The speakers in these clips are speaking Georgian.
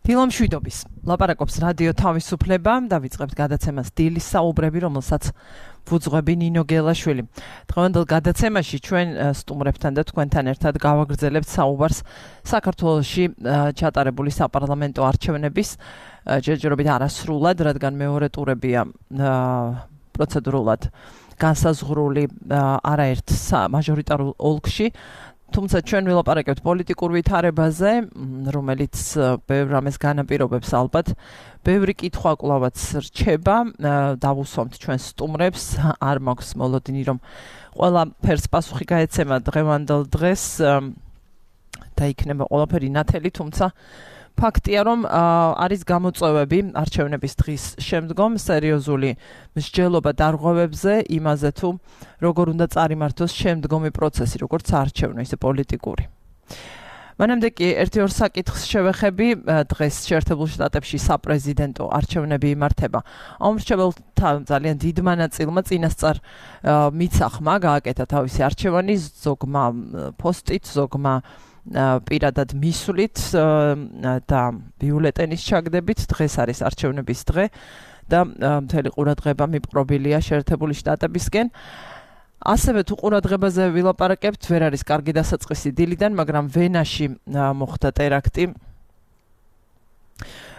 დილამშვიდობის ლაპარაკობს რადიო თავისუფლება დავიწყებთ გადაცემას დილის საუბრები, რომელსაც ვუძღვები ნინო გელაშვილი. დღევანდელ გადაცემაში ჩვენ სტუმრებთან და თქვენთან ერთად გავაგრძელებთ საუბარს საქართველოში ჩატარებული საპარლამენტო არჩევნების ჯერჯერობით არასრულად, რადგან მეორე ტურებია პროცედურულად განსაზღვრული არაერთ მაჟორიტარულ ოლქში. თუმცა ჩვენ ვილაპარაკებთ პოლიტიკურ ვითარებაზე, რომელიც ბევრ რამეს განაპირობებს ალბათ. ბევრი კითხვა კვლავაც რჩება, დავუსვამთ ჩვენ სტუმრებს, არ მაქვს მოლოდინი, რომ ყველაფერს პასუხი გაეცემა დღევანდელ დღეს და იქნება ყველაფერი ნათელი, თუმცა ფაქტია, რომ არის გამოწვევები არჩევნების დღის შემდგომ სერიოზული მსჯელობა დარღვევებზე იმაზე თუ როგორ უნდა წარიმართოს შემდგომი პროცესი, როგორც არჩევნო, ისე პოლიტიკური. მანამდე კი ერთი-ორ საკითხს შევეხები. დღეს შეერთებულ შტატებში საპრეზიდენტო არჩევნები იმართება. ამორჩეველთა ძალიან დიდმა ნაწილმა წინასწარ მიცახმა გააკეთა თავისი არჩევანი, ზოგმა პოსტით, ზოგმა პირადად მისვლით და ბიულეტენის ჩაგდებით. დღეს არის არჩევნების დღე და მთელი ყურადღება მიპყრობილია შეერთებული შტატებისკენ. ასევე თუ ყურადღებაზე ვილაპარაკებთ, ვერ არის კარგი დასაწყისი დილიდან, მაგრამ ვენაში მოხდა ტერაქტი.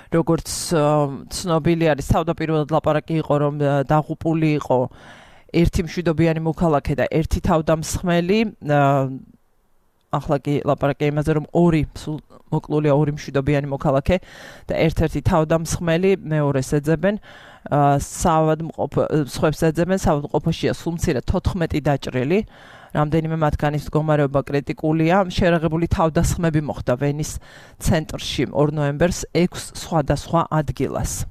როგორც ცნობილი არის, თავდაპირველად ლაპარაკი იყო, რომ დაღუპული იყო ერთი მშვიდობიანი მოქალაქე და ერთი თავდამსხმელი. ახლა კი ლაპარაკია იმაზე, რომ მოკლულია ორი მშვიდობიანი მოქალაქე და ერთ-ერთი თავდამსხმელი, მეორეს ეძებენ, სხვებს ეძებენ, საავადმყოფოშია სულ მცირე 14 დაჭრილი. რამდენიმე მათგანის მდგომარეობა კრიტიკულია. შერაღებული თავდასხმები მოხდა ვენის ცენტრში 2 ნოემბერს 6 სხვადასხვა ადგილას.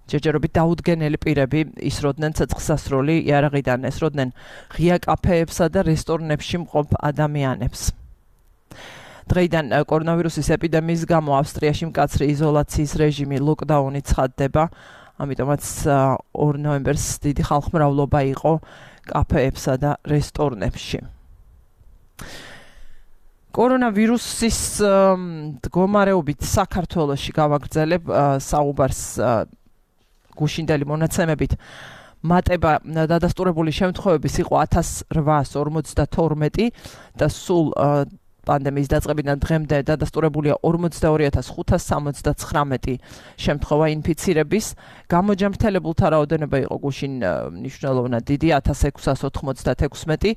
ჯერჯერობით დაუდგენელი პირები ისროდნენ ცეცხლსასროლი იარაღიდან, ესროდნენ ღია კაფეებსა და რესტორნებში მყოფ ადამიანებს. დღეიდან კორონავირუსის ეპიდემიის გამო ავსტრიაში მკაცრი იზოლაციის რეჟიმი, ლოკდაუნი ცხადდება, ამიტომაც 2 ნოემბერს დიდი ხალხმრავლობა იყო კაფეებსა და რესტორნებში. კორონავირუსის მდგომარეობით საქართველოში გავაგრძელებ საუბარს გუშინდელი მონაცემებით. მატება დადასტურებული შემთხვევების იყო 1852 და სულ პანდემიის დაწყებიდან დღემდე დადასტურებულია 42569 შემთხვევა ინფიცირების. გამოჯანმრთელებულთა რაოდენობა იყო გუშინ მნიშვნელოვნად დიდი, 1696,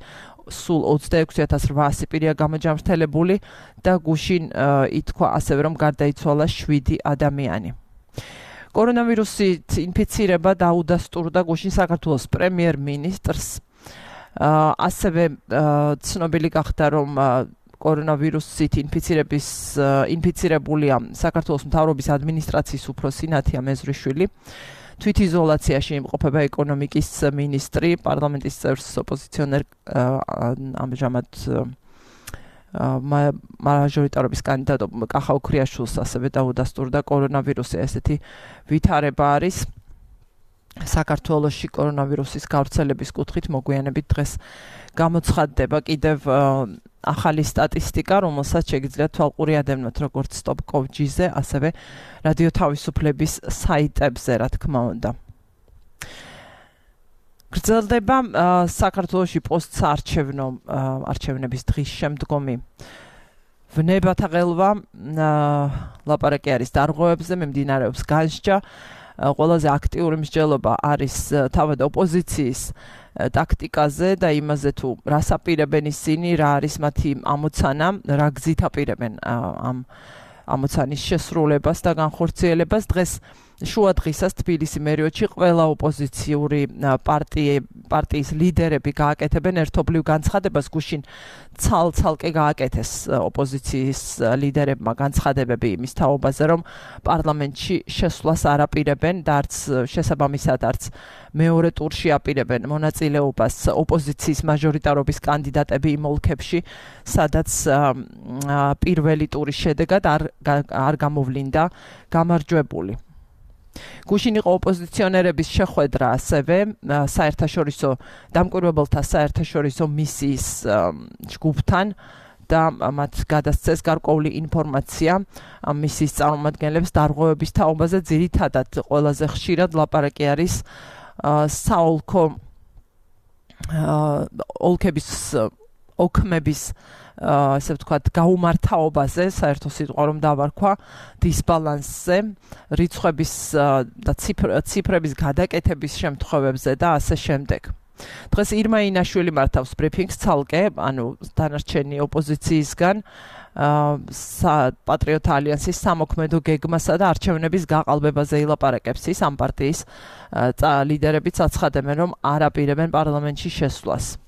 სულ 26800 პირია გამოჯანმრთელებული და გუშინ ითქვა ასევე, რომ გარდაიცვალა 7 ადამიანი. კორონავირუსით ინფიცირება დაუდასტურდა გუშინ საქართველოს პრემიერ-მინისტრს. ასევე ცნობილი გახდა, რომ კორონავირუსით ინფიცირებულია საქართველოს მთავრობის ადმინისტრაციის უფროსი ნათია მეზრიშვილი. თვითიზოლაციაში იმყოფება ეკონომიკის მინისტრი, პარლამენტის წევრს ოპოზიციონერ ამჟამად მაჟორიტარობის კანდიდატ კახა ოქრიაშვილს ასევე დაუდასტურდა კორონავირუსი. ესეთი ვითარება არის საქართველოში კორონავირუსის გავრცელების კუთხით. მოგვიანებით დღეს გამოცხადდება კიდევ ახალი სტატისტიკა, რომელსაც შეგიძლიათ თვალყური ადევნოთ როგორც stop.gz-ზე, ასევე რადიო თავისუფლების საიტებზე, რა თქმა უნდა. გრძელდება საქართველოში პოსტსაარჩევნო არჩევნების დღის შემდგომი ვნებათა ყელვა. ლაპარაკი არის დარღვევებზე, მიმდინარეობს განსჯა. ყველაზე აქტიური მსჯელობა არის თავად ოპოზიციის ტაქტიკაზე და იმაზე თუ რას აპირებენ ისინი, რა არის მათი ამოცანა, რა გზით აპირებენ ამ ამოცანის შესრულებას და განხორციელებას. დღეს შუადღისას თბილისი მერიოდში ყველა ოპოზიციური პარტიის ლიდერები გააკეთებენ ერთობლივ განცხადებას. გუშინ ცალ-ცალკე გააკეთეს ოპოზიციის ლიდერებმა განცხადებები იმის თაობაზე, რომ პარლამენტში შესვლას არ აპირებენ და არც შესაბამისად არც მეორე ტურში აპირებენ მონაწილეობას ოპოზიციის მაჟორიტარობის კანდიდატები იმ ოლქებში, სადაც პირველი ტურის შედეგად არ გამოვლინდა გამარჯვებული. გუშინ იყო ოპოზიციონერების შეხვედრა ასევე საერთაშორისო დამკვირვებელთა საერთაშორისო მისიის ჯგუფთან და მათ გადასცეს გარკვეული ინფორმაცია მისის წარმომადგენლებს დარღვევების თაობაზე. ძირითადად ყველაზე ხშირად ლაპარაკი არის საოლქო ოლქების ოქმების ასე ვთქვათ გაუმართავობაზე, საერთო სიტყვა რომ დავარქვა, დისბალანსზე, რიცხვების და ციფრების გადაკეთების შემთხვევებზე და ასე შემდეგ. დღეს ირმა ინაშვილი მართავს ბრიფინგს ცალკე, ანუ დანარჩენი ოპოზიციისგან პატრიოტთა ალიანსის სამოქმედო გეგმასა და არჩევნების გაყალბებაზე ილაპარაკებს ის ამ პარტიის ლიდერებიც აცხადებენ, რომ არ აპირებენ პარლამენტში შესვლას.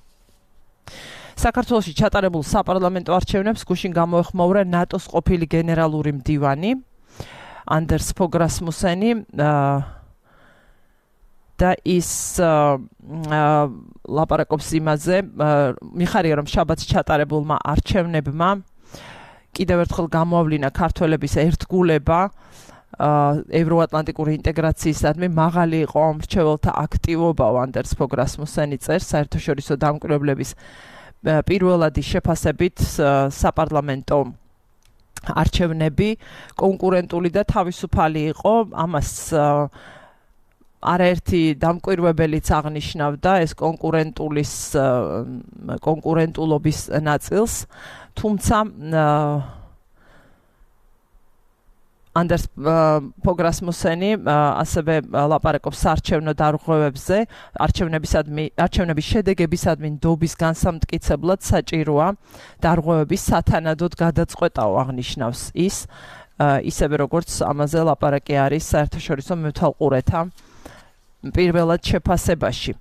საქართველოში ჩატარებულ საპარლამენტო არჩევნებს გუშინ გამოეხმაურა ნატოს ყოფილი გენერალური მდივანი ანდერს ფოგ რასმუსენი და ის ლაპარაკობს იმაზე, მიხარია რომ შაბათს ჩატარებულმა არჩევნებმა კიდევ ერთხელ გამოავლინა ქართველების ერთგულება ევროატლანტიკური ინტეგრაციისადმი მაღალი იყო მრჩეველთა აქტივობა ანდერს ფოგ რასმუსენი წერს საერთაშორისო დამკვირვებლების პირველადი შეფასებით საპარლამენტო არჩევნები კონკურენტული და თავისუფალი იყო. ამას არაერთი დამკვირვებელიც აღნიშნავდა ეს კონკურენტულობის ნაწილს, თუმცა ანდერს ფოგ რასმუსენი ასევე ლაპარაკობს საარჩევნო დარღვევებზე, არჩევნების შედეგებისადმი ნდობის განსამტკიცებლად საჭიროა დარღვევების სათანადოდ გადაწყვეტაო, აღნიშნავს ის, ისევე როგორც ამაზე ლაპარაკი არის საერთაშორისო მეთვალყურეთა პირველად შეფასებაში.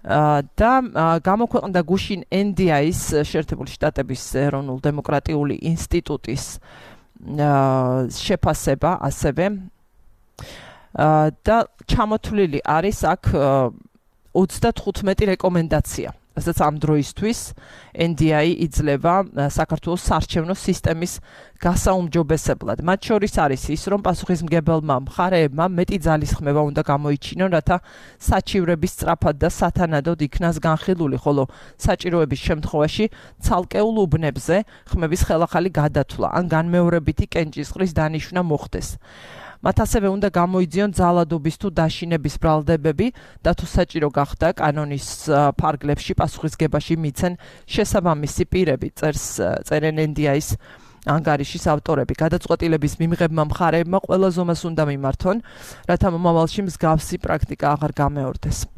და გამოქვეყნდა გუშინ NDI-ის შეერთებული შტატების ეროვნულ დემოკრატიული ინსტიტუტის შეფასება ასევე და ჩამოთვლილი არის აქ 35 რეკომენდაცია. რასაც ამ დროისთვის NDI იძლევა საქართველოს საარჩევნო სისტემის გასაუმჯობესებლად. მათ შორის არის ის, რომ პასუხისმგებელმა მხარეებმა მეტი ძალისხმევა უნდა გამოიჩინონ, რათა საჩივრების სწრაფად და სათანადოდ იქნას განხილული, ხოლო საჭიროების შემთხვევაში ცალკეულ უბნებზე ხმების ხელახალი გადათვლა ან განმეორებითი კენჭისყრის დანიშვნა მოხდეს. მათ ასევე უნდა გამოიძიონ ძალადობის თუ დაშინების ბრალდებები და თუ საჭირო გახდა კანონის ფარგლებში პასუხისგებაში მიცენ შესაბამისი პირები, წერენ NDI-ის ანგარიშის ავტორები. გადაწყვეტილების მიმღებმა მხარეებმა ყველა ზომას უნდა მიმართონ, რათა მომავალში მსგავსი პრაქტიკა აღარ გამეორდეს.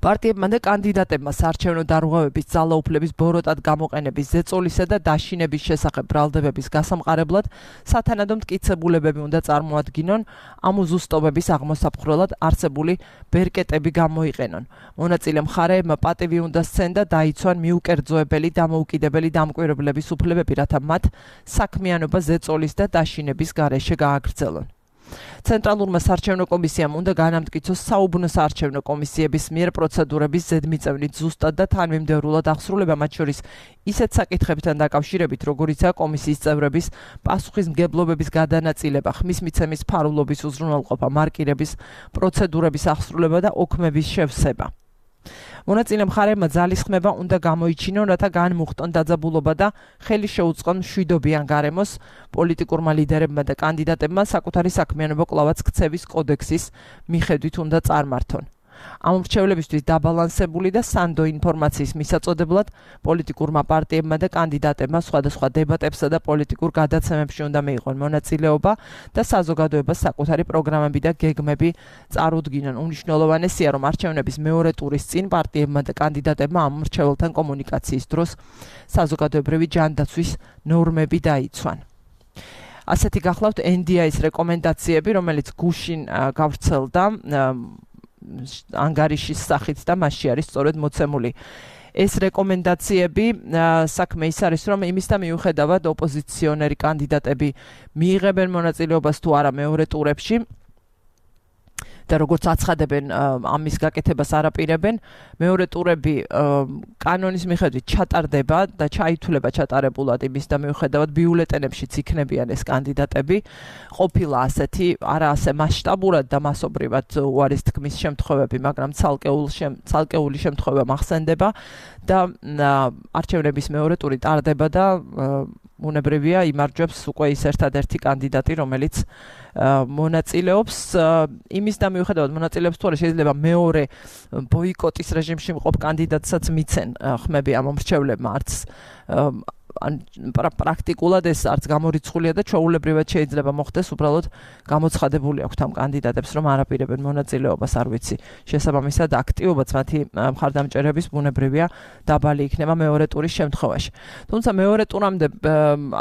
პარტიებმა და კანდიდატებმა საარჩევნო დარღვევების ძალაუფლების ბოროტად გამოყენების ზეწოლისა და დაშინების შესახებ ბრალდებების გასამყარებლად სათანადო მტკიცებულებები უნდა წარმოადგინონ, ამ უზუსტობების აღმოსაფხრელად არსებული ბერკეტები გამოიყენონ. მონაწილე მხარეებმა პატივი უნდა სცენ და დაიცვან მიუკერძოებელი დამოუკიდებელი დამკვირვებლების უფლებები, რათა მათ საქმიანობა ზეწოლის და დაშინების გარეშე გააგრძელონ. ცენტრალურმა საარჩევნო კომისიამ უნდა განამტკიცოს საუბნო საარჩევნო კომისიების მიერ პროცედურების ზედმიწევნით ზუსტად და თანმიმდევრულად აღსრულება, მათ შორის ისეთ საკითხებთან დაკავშირებით, როგორიცაა კომისიის წევრების პასუხისმგებლობების გადანაწილება, ხმის მიცემის ფარულობის უზრუნველყოფა, მარკირების პროცედურების აღსრულება და ოქმების შევსება. მონაწილე მხარეებმა ძალისხმევა უნდა გამოიჩინონ, რათა განმუხტონ დაძაბულობა და ხელი შეუწყონ მშვიდობიან გარემოს პოლიტიკურმა ლიდერებმა და კანდიდატებმა საკუთარი საქმიანობა კვლავაც ქცევის კოდექსის მიხედვით უნდა წარმართონ. ამ მრჩევლებისთვის დაბალანსებული და სანდო ინფორმაციის მისაწოდებლად პოლიტიკურმა პარტიებმა და კანდიდატებმა სხვადასხვა დებატებსა და პოლიტიკურ გადაცემებში უნდა მიიღონ მონაწილეობა და საზოგადოებას საკუთარი პროგრამები და გეგმები წარუდგინონ. უმნიშვნელოვანესია, რომ არჩევნების მეორე ტურის წინ პარტიებმა და კანდიდატებმა ამ მრჩეველთან კომუნიკაციის დროს საზოგადოებრივი ჯანდაცვის ნორმები დაიცვან. ასეთი გახლავთ NDI-ის რეკომენდაციები, რომელიც გუშინ გავრცელდა ანგარიშის სახით და მასში არის სწორედ მოცემული. ეს რეკომენდაციები საქმე ის არის, რომ იმის და მიუხედავად ოპოზიციონერი კანდიდატები მიიღებენ მონაწილეობას თუ არა მეორე ტურებში, და როგორც აცხადებენ ამის გაკეთებას არაპირებენ მეორე ტურები კანონის მიხედვით ჩატარდება და ჩაითვლება ჩატარებულად იმის და მიუხედავად ბიულეტენებშიც იქნებიან ეს კანდიდატები ყოფილა ასეთი არა ასე მასშტაბურად და მასობრივად უარის თქმის შემთხვევები მაგრამ ცალკეული შემთხვევა მახსენდება და არჩევნების მეორე ტური ტარდება და უნებრივია იმარჯვებს უკვე ის ერთადერთი კანდიდატი რომელიც მონაწილეობს იმის და მიუხედავად მონაწილეობს თუ არა შეიძლება მეორე ბოიკოტის რეჟიმში მყოფ კანდიდატსაც მიცენ ხმები ამ მომრჩევლებმა არც პრაქტიკულად ეს არც გამორიცხულია და ჩვეულებრივად შეიძლება მოხდეს უბრალოდ გამოცხადებული აქვს ამ კანდიდატებს რომ არაპირებენ მონაწილეობას არ ვიცი შესაბამისად აქტივობაც მათი მხარდამჭერების ბუნებრივია დაბალი იქნება მეორე ტურის შემთხვევაში თუმცა მეორე ტურამდე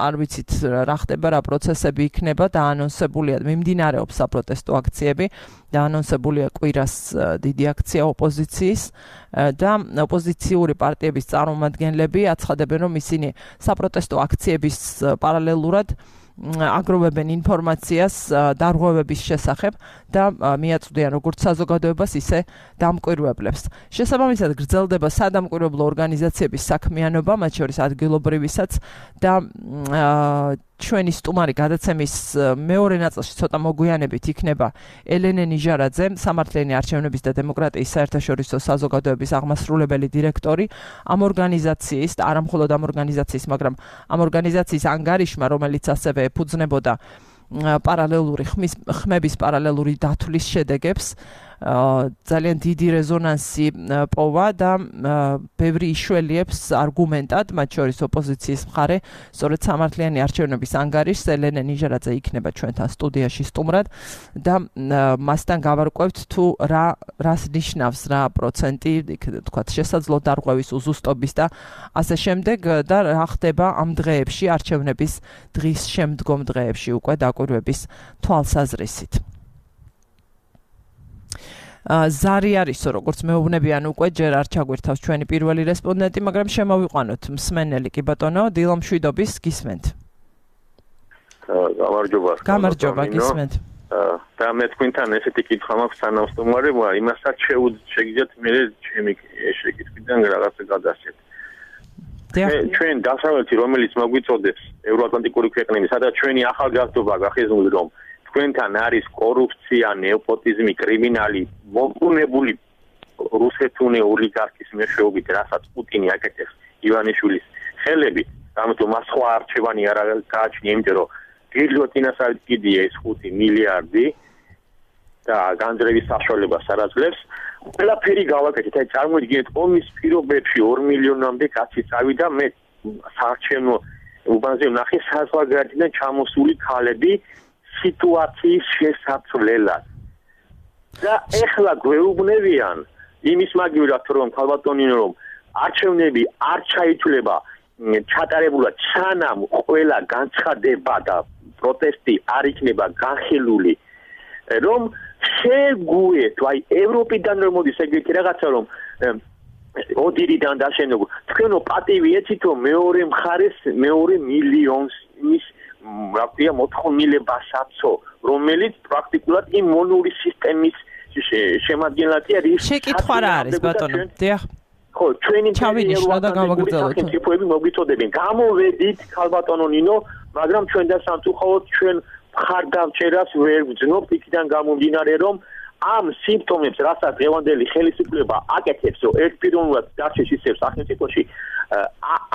არ ვიცით რა ხდება რა პროცესები იქნება და ანონსებულია მიმდინარეობს საპროტესტო აქციები და ანონსებულია კვირას დიდი აქცია ოპოზიციის და ოპოზიციური პარტიების წარმომადგენლები აცხადებენ რომ ისინი საპროტესტო აქციების პარალელურად აგროვებენ ინფორმაციას დარღვევების შესახებ და მიაწვდიან როგორც საზოგადოებას ისე დამკვირვებლებს. შესაბამისად გრძელდება სადამკვირვებლო ორგანიზაციების საქმიანობა, მათ შორის ადგილობრივისაც და ჩვენი სტუმარი გადაცემის მეორე ნაწილში ცოტა მოგვიანებით იქნება ელენე ნიჟარაძე, სამართლიანი არჩევნების და დემოკრატიის საერთაშორისო საზოგადოების აღმასრულებელი დირექტორი ამ ორგანიზაციის და არა მხოლოდ ამ ორგანიზაციის, მაგრამ ამ ორგანიზაციის ანგარიშმა, რომელიც ასევე ეფუძნებოდა პარალელური ხმების პარალელური დათვლის შედეგებს ძალიან დიდი რეზონანსი პოვა და ბევრი იშველიებს არგუმენტად, მათ შორის ოპოზიციის მხარე, სწორედ სამართლიანი არჩევნების ანგარიშს ელენე ნიჟარაძე იქნება ჩვენთან სტუდიაში სტუმრად და მასთან გავარკვევთ თუ რას ნიშნავს რა პროცენტი, თქვათ, შესაძლო დარღვევის უზუსტობის და ასე შემდეგ და რა ხდება ამ დღეებში არჩევნების დღის შემდგომ დღეებში უკვე დაკვირვების თვალსაზრისით. ზარი არისო, როგორც მეუბნებიან უკვე ჯერ არ ჩაგვირთავს ჩვენი პირველი რესპონდენტი, მაგრამ შემოვიყვანოთ მსმენელი კი ბატონო, დილომშვიდობის გისმენთ. გამარჯობა, გისმენთ. და მე თქვენთან ესეთი კითხვა მაქვს სანამ სტუმარი, იმასაც შეგიძლიათ მე ჩემი შეკითხვიდან რაღაცა გადასცეთ. ჩვენ დასავლეთი რომელიც მოგვიწოდებს ევროატლანტიკური ქვეყნები, სადაც ჩვენი ახალგაზრდობა გახიზნული რომ თქვენთან არის კორუფცია, ნეოპოტიზმი, კრიმინალი, მოგუნებული რუსეთუნე ოლიგარქის მეშვეობით, რასაც პუტინი აკეთებს ივანიშვილის ხელებით, ამიტომ მას სხვა არჩევანი არ გააჩნია, იმიტომ რომ გილოტინას კიდია ეს 5 მილიარდი და განძრევის საშუალებას არ აძლევს. ყველაფერი გავაკეთეთ, აი წარმოიდგინეთ ომის პირობებში 2 მილიონამდე კაცი წავიდა, მე საარჩევნო უბანზე ვნახე საზღვარგარეთიდან ჩამოსული ქალები სიტუაციის შესაცვლელად. და ეხლა გვეუბნებიან იმის მაგივრად რომ ქალბატონინო რომ არჩევნები არ ჩაითვლება ჩატარებულად სანამ ყველა განცხადება და პროტესტი არ იქნება განხილული რომ შეგვიეთ აი ევროპიდან რომ მოდის ეგეთი რაღაცა რომ ოდირიდან დაშენებულ თქვენო პატივი ეცით რომ მეორე მხარეს მეორე მილიონს ის რა ქვია მოთხოვნილებასაცო რომელიც პრაქტიკულად იმ მონური სისტემის შემადგენლადია რის შეკითხვა რა არის ბატონო დიახ ხო ჩვენი ჩავინიშნო და გავაგრძელოთ სახელმწიფოები მოგვიწოდებენ გამოვედით ქალბატონო ნინო მაგრამ ჩვენ და სამწუხაროდ ჩვენ მხარდამჭერას ვერ ვძნობთ იქიდან გამომდინარე რომ ამ სიმპტომებს რასაც დღევანდელი ხელისუფლება აკეთებს რომ ერთპიროვნულად დარჩეს ისევ სახელმწიფოში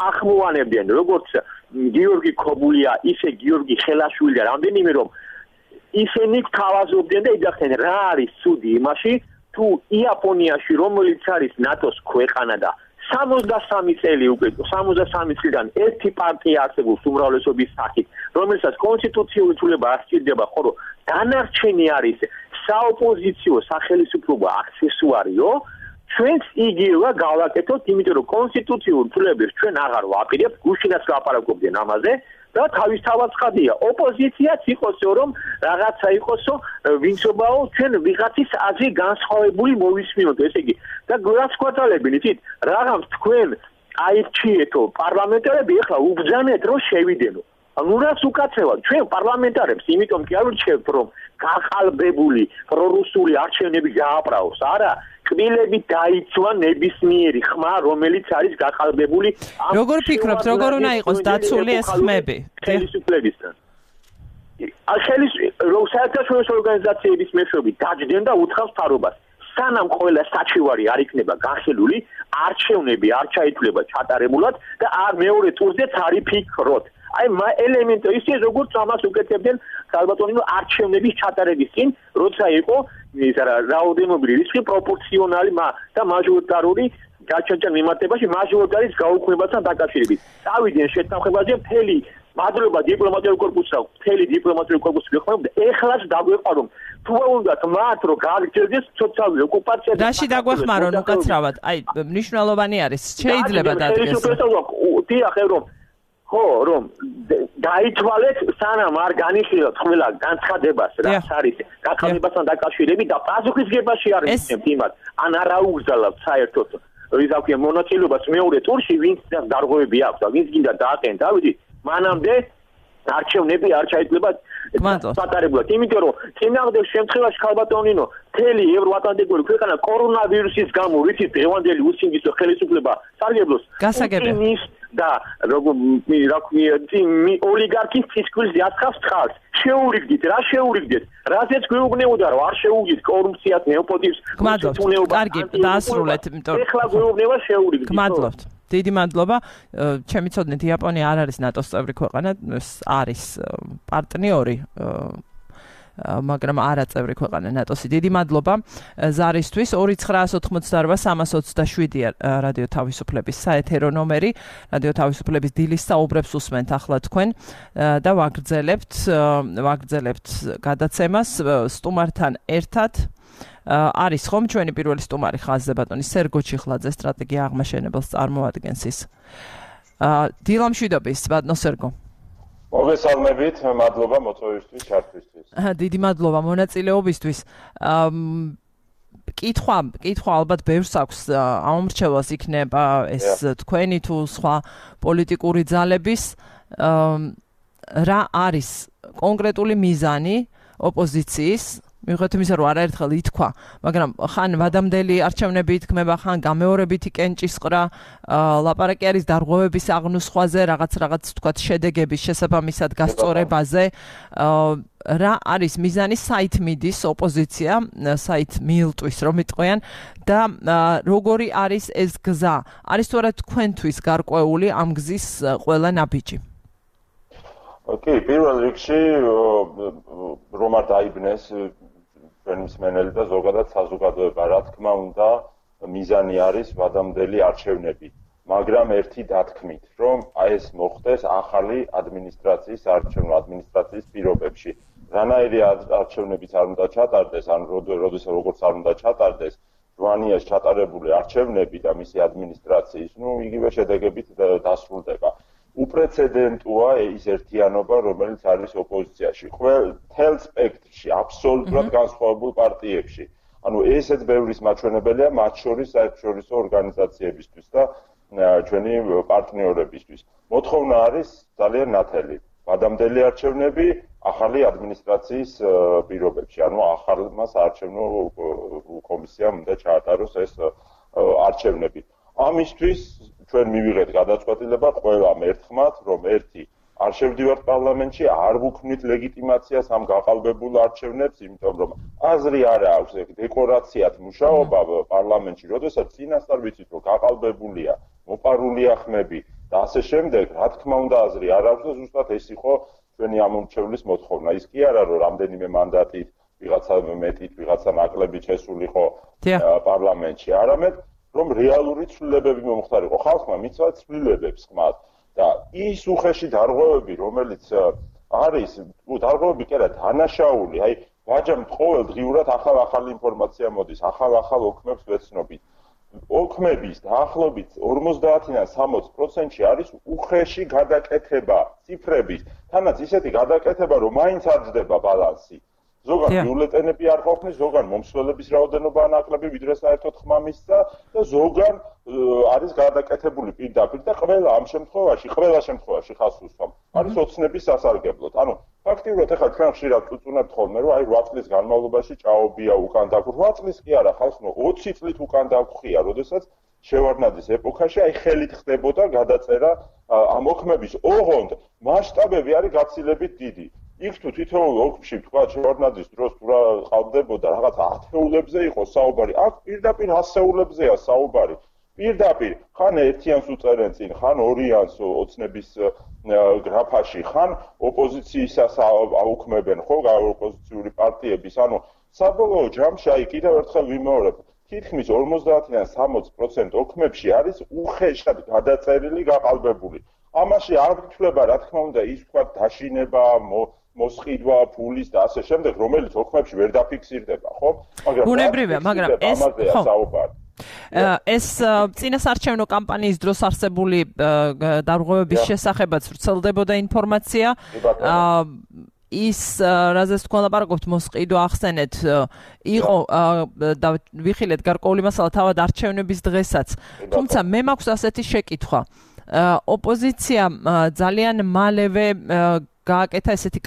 ახმოვანებდნენ როგორც გიორგი ქობულია ისე გიორგი ხელაშვილი და რამდენიმე რომ ისინი თავაზობდნენ და იძახდნენ რა არის ცუდი იმაში თუ იაპონიაში რომელიც არის ნატოს ქვეყანა და 63 წელი უკვე 63 წლიდან ერთი პარტია არსებობს უმრავლესობის სახით რომელსაც კონსტიტუციური ცვლილება არ სჭირდება ხოლო დანარჩენი არის საოპოზიციო სახელისუფლება აქსესუარიო ჩვენს იგივე გავაკეთოთ იმიტომ რომ კონსტიტუციურ ცვლილებებს ჩვენ აღარ ვაპირებთ გუშინაც ლაპარაკობდნენ ამაზე და თავისთავად ცხადია ოპოზიციაც იყოსო რომ რაღაცა იყოსო ვინცობაო ჩვენ ვიღაცის აზრი განსხვავებული მოვისმინოთ ესე იგი და გვას გვატალებინ იცით რაღაც თქვენ აირჩიეთო პარლამენტარები ახლა უბძანეთ რომ შევიდენო ანუ რაც უკაცრავად ჩვენ პარლამენტარებს იმიტომ კი არ ვირჩევთ რომ გაყალბებული პრორუსული არჩევნები გააბრაოს არა კბილები დაიცვა ნებისმიერი ხმა რომელიც არის გაყალბებული როგორ ფიქრობთ როგორ უნდა იყოს დაცული ეს ხმები ხელისუფლებისგან საერთაშორისო ორგანიზაციების მეშვეობით დაჯდნენ და უთხრავს მთავრობას სანამ ყველა საჩივარი არ იქნება განხილული არჩევნები არ ჩაითვლება ჩატარებულად და მეორე ტურზეც არ იფიქროთ აი ელემენტი ისე როგორც ამას უკეთებდნენ ალბათონი არჩევნების ჩატარების წინ როცა იყო ის რაოდენობრივი რისკი პროპორციონალი და მაჟორიტარული გაჩენჩა მიმართებაში მაჟორიტარის გაუქმებასთან დაკავშირებით წავიდნენ შეთანხმებაზე მთელი მადლობა დიპლომატიურ კორპუსს მთელი დიპლომატიური კორპუსი გეხმარებოდა ეხლაც დაგვეყარო თუ უნდათ მათ რომ გააგრძელდეს სოციალური ოკუპაცია რაში დაგვეხმარონ უკაცრავად აი მნიშვნელოვანი არის შეიძლება დადგეს დიახ რომ რომ დაითვალეთ სანამ არ განიხილოთ ყველა განცხადებას რაც არის გაყალბებასთან დაკავშირებით და პასუხისგებაში არ იქნებთ იმას ან არ აუგზავნებთ საერთოდ ისა ქვია მონაწილეობას მეორე ტურში ვინც დარღვევები აქვს და ვინც გინდა დააყენეთ დავიდი მანამდე არჩევნები არ ჩაითვლება პატარებულად იმიტომ რომ წინააღმდეგ შემთხვევაში ხალბატონინო მთელი ევროატლანტიკური ქვეყანა კორონავირუსის გამო რითი დღევანდელი უსინგისო ხელისუფლება სარგებლობს გასაგებია და ოლიგარქის ფისკულზე აცხავს ხალხს შეურიგდით რა შეურიგდით რაზეც გვეუბნებოდა რომ არ შეუგდით კორუფციას ნეოპოტიზმს კარგი დაასრულეთ იმიტომ ეხლა გვეუბნება შეურიგდით გმადლობთ დიდი მადლობა ჩემი ცოდნით იაპონია არ არის ნატოს წევრი ქვეყანა არის პარტნიორი მაგრამ არა წევრი ქვეყანა ნატოსი დიდი მადლობა ზარისთვის 2988327 რადიო თავისუფლების საეთერო ნომერი რადიო თავისუფლების დილის საუბრებს უსმენთ ახლა თქვენ და ვაგრძელებთ გადაცემას სტუმართან ერთად არის ხომ ჩვენი პირველი სტუმარი ხაზზე ბატონი სერგო ჩიხლაძე სტრატეგია აღმაშენებელს წარმოადგენს ის დილამშვიდობის ბატონო სერგო მოგესალმებით, მადლობა მოწვევისთვის, ჩართვისთვის. დიდი მადლობა მონაწილეობისთვის. კითხვა ალბათ ბევრს აქვს ამომრჩევას იქნება ეს თქვენი თუ სხვა პოლიტიკური ძალების რა არის კონკრეტული მიზანი ოპოზიციის მიუხედავად იმისა, რომ არაერთხელ ითქვა, მაგრამ ხან ვადამდელი არჩევნები ითქმება, ხან გამეორებითი კენჭისყრა, ლაპარაკი არის დარღვევების აღნუსხვაზე, რაღაც თქვათ შედეგების შესაბამისად გასწორებაზე. რა არის მიზანი საით მიდის ოპოზიცია, საით მიილტვის რომ იტყვიან და როგორი არის ეს გზა? არის თუ არა თქვენთვის გარკვეული ამ გზის ყველა ნაბიჯი? კი, პირველ რიგში რომ არ დაიბნეს მსმენელი და ზოგადად საზოგადოება, რა თქმა უნდა, მიზანი არის ვადამდელი არჩევნები, მაგრამ ერთი დათქმით, რომ ეს მოხდეს ახალი ადმინისტრაციის ადმინისტრაციის პირობებში. რანაირი არჩევნებიც არ უნდა ჩატარდეს, ან როგორც არ უნდა ჩატარდეს, ჟვანიაში ჩატარებული არჩევნები და მისი ადმინისტრაციის, იგივე შედეგებით დასრულდება. უპრეცედენტოა ის ერთიანობა, რომელიც არის ოპოზიციაში. მთელ სპექტრში, აბსოლუტურად განსხვავებულ პარტიებში. ანუ ესეც ბევრის მაჩვენებელია, მათ შორის საერთაშორისო ორგანიზაციებისთვის და ჩვენი პარტნიორებისთვის. მოთხოვნა არის ძალიან ნათელი. ვადამდელი არჩევნები ახალი ადმინისტრაციის პირობებში. ანუ ახალმა საარჩევნო კომისიამ უნდა ჩაატაროს ეს არჩევნები. ამისთვის ჩვენ მივიღეთ გადაწყვეტილება ყველამ ერთხმად, რომ ერთი არ შევდივართ პარლამენტში, არ ვუქმნით ლეგიტიმაციას ამ გაყალბებულ არჩევნებს, იმიტომ რომ აზრი არ აქვს დეკორაციათ მუშაობა პარლამენტში, როდესაც წინასწარ ვიცით, რომ გაყალბებულია, მოპარულია ხმები და ასე შემდეგ, რა თქმა უნდა აზრი არ აქვს და ზუსტად ეს იყო ჩვენი ამომრჩევლის მოთხოვნა. ის კი არა, რომ რამდენიმე მანდატით, ვიღაცა მეტით, ვიღაცა ნაკლებით შესულიყო პარლამენტში, არამედ რომ რეალური ცვლილებები მომხდარიყო. ხალხმა მიცვა ცვლილებებს ხმად და ის უხეში დარღვევები, რომელიც არის, დარღვევები კი არა, დანაშაული, აი ვაჯამ ყოველდღიურად ახალი ინფორმაცია მოდის, ახალ ოქმებს ვეცნობით. ოქმების დაახლოებით 50-დან 60%-ში არის უხეში გადაკეთება ციფრების. თანაც ისეთი გადაკეთება, რომ მაინც არ ჯდება ბალანსი. ზოგან ბიულეტენები არ ყოფნის, ზოგან მომსვლელების რაოდენობა ნაკლები, ვიდრე საერთოდ ხმა მისცა და ზოგან არის გადაკეთებული პირდაპირ და ყველა შემთხვევაში ხას უსვამ. არის ოცნების სასარგებლოდ. ანუ ფაქტიურად ახლა ჩვენ ხშირად ვწუნებთ ხოლმე, რომ აი 8 წლის განმავლობაში ჭაობია უკან დაგვრ. 8 წლის კი არა, ხალხო 20 წლით უკან დაგვრხია, როდესაც შევარდნაძის ეპოქაში აი ხელით ხდებოდა გადაწერა ამ ოქმების ოღონდ მასშტაბები არის გაცილებით დიდი. იქ თუ თითოეულ ოქმში თქვა შევარდნაძის დროს თუ რა ყავდებოდა რაღაც ათეულებზე იყო საუბარი, აქ პირდაპირ ასეულებზეა საუბარი. პირდაპირ ხან ერთიანს უწერენ წინ, ხან ორიანს ოცნების გრაფაში, ხან ოპოზიციისას აუქმებენ, ხო, ოპოზიციური პარტიების, ანუ საბოლოო ჯამში აი კიდევ ერთხელ ვიმეორებ, თითქმის 50-დან 60% ოქმებში არის უხეშად გადაწერილი, გაყალბებული. ამაში არ გითვლება, რა თქმა უნდა, ის თქვა დაშინება, მოსყიდვა ფულის და ასე შემდეგ, რომელიც ოქმებში ვერ დაფიქსირდება, ხო? ბუნებრივია, მაგრამ ეს ხო ეს წინასარჩევნო კამპანიის დროს არსებული დარღვევების შესახებაც ვრცელდებოდა ინფორმაცია. ის რაზეც თქვენ ლაპარაკობთ მოსყიდვა ახსენეთ იყო და ვიხილეთ გარკვეული მასალა თავად არჩევნების დღესაც. თუმცა მე მაქვს ასეთი შეკითხვა. ოპოზიცია ძალიან მალევე გააკეთა ესეთი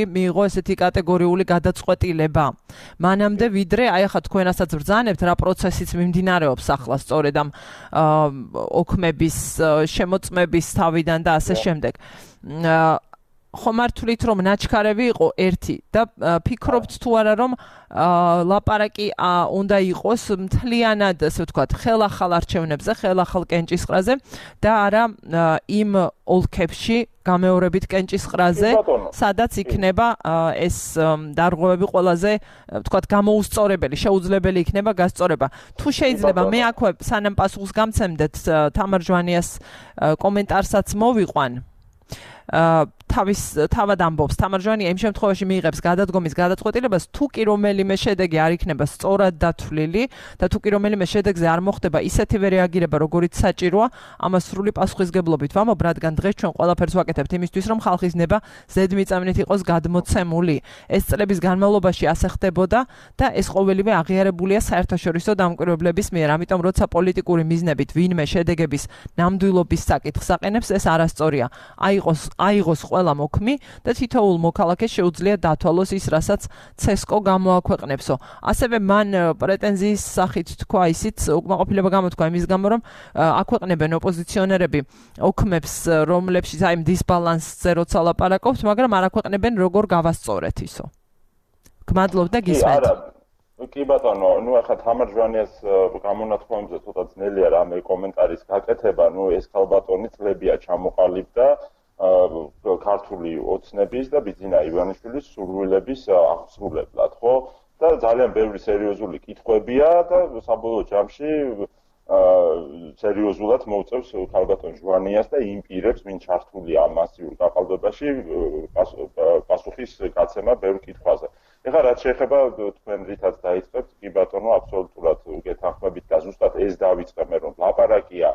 მიიღო ესეთი კატეგორიული გადაწყვეტილება. მანამდე ვიდრე აი ახლა თქვენასაც ბრძანებთ რა პროცესიც მიმდინარეობს ახლა სწორედ ამ ოქმების შემოწმების თავიდან და ასე შემდეგ. ხომ არ თვლით რომ ნაჩქარევი იყო ერთი და ფიქრობთ თუ არა რომ ლაპარაკი უნდა იყოს მთლიანად ასე ვთქვათ ხელახალ არჩევნებზე, ხელახალ კენჭისყრაზე და არა იმ ოლქებში გამეორებით კენჭისყრაზე, სადაც იქნება ეს დარღვევები ყველაზე ვთქვათ გამოუსწორებელი, შეუძლებელი იქნება გასწორება. თუ შეიძლება მე აქვე სანამ პასუხს გამცემდეთ თამარ ჟვანიას კომენტარსაც მოვიყვან. თავად ამბობს თამარ ჟვანია იმ შემთხვევაში მიიღებს გადადგომის გადაწყვეტილებას თუ კი რომელიმე შედეგი არ იქნება სწორად დათვლილი და თუ კი რომელიმე შედეგზე არ მოხდება ისეთივე რეაგირება როგორიც საჭიროა ამას სრული პასუხისგებლობით ვამბობ რადგან დღეს ჩვენ ყველაფერს ვაკეთებთ იმისთვის რომ ხალხის ნება ზედმიწევნით იყოს გადმოცემული ეს წლების განმავლობაში ასე ხდებოდა და ეს ყოველივე აღიარებულია საერთაშორისო დამკვირვებლების მიერ ამიტომ როცა პოლიტიკური მიზნებით ვინმე შედეგების ნამდვილობის საკითხს აყენებს ეს არასწორია აიღოს ყველა მოქმი და თითოეულ მოქალაქეს შეუძლია დათვალოს ის, რასაც CESCO გამოაქვეყნებსო. ასევე მან პრეტენზიის სახით თქვა ისიც, უკმაყოფილება გამოთქვა იმის გამო, რომ აქვეყნებენ ოპოზიციონერები ოქმებს, რომლებშიც აი დისბალანსზე როცა ლაპარაკობთ, მაგრამ არ აქვეყნებენ როგორ გავასწორეთ ისო. გმადლობ და გისმენთ. კი ბატონო, ახლა თამარ ჟვანიას გამონათქვამებზე ცოტა ძნელია რამე კომენტარის გაკეთება, ეს ქალბატონი წლებია ჩამოყალიბდა ქართული ოცნების და ბიძინა ივანიშვილის სურვილების აღსრულებლად, ხო? და ძალიან ბევრი სერიოზული კითხვებია და საბოლოო ჯამში სერიოზულად მოუწევს ქალბატონ ჟვანიას და იმ პირებს, ვინ ჩართულია ამ მასიურ გაყალბებაში, პასუხის გაცემა ბევრ კითხვაზე. ეხლა რაც შეეხება თქვენ რითაც დაიწყებთ, კი ბატონო, აბსოლუტურად გეთანხმებით და ზუსტად ეს დავიწყებ, რომ ლაპარაკია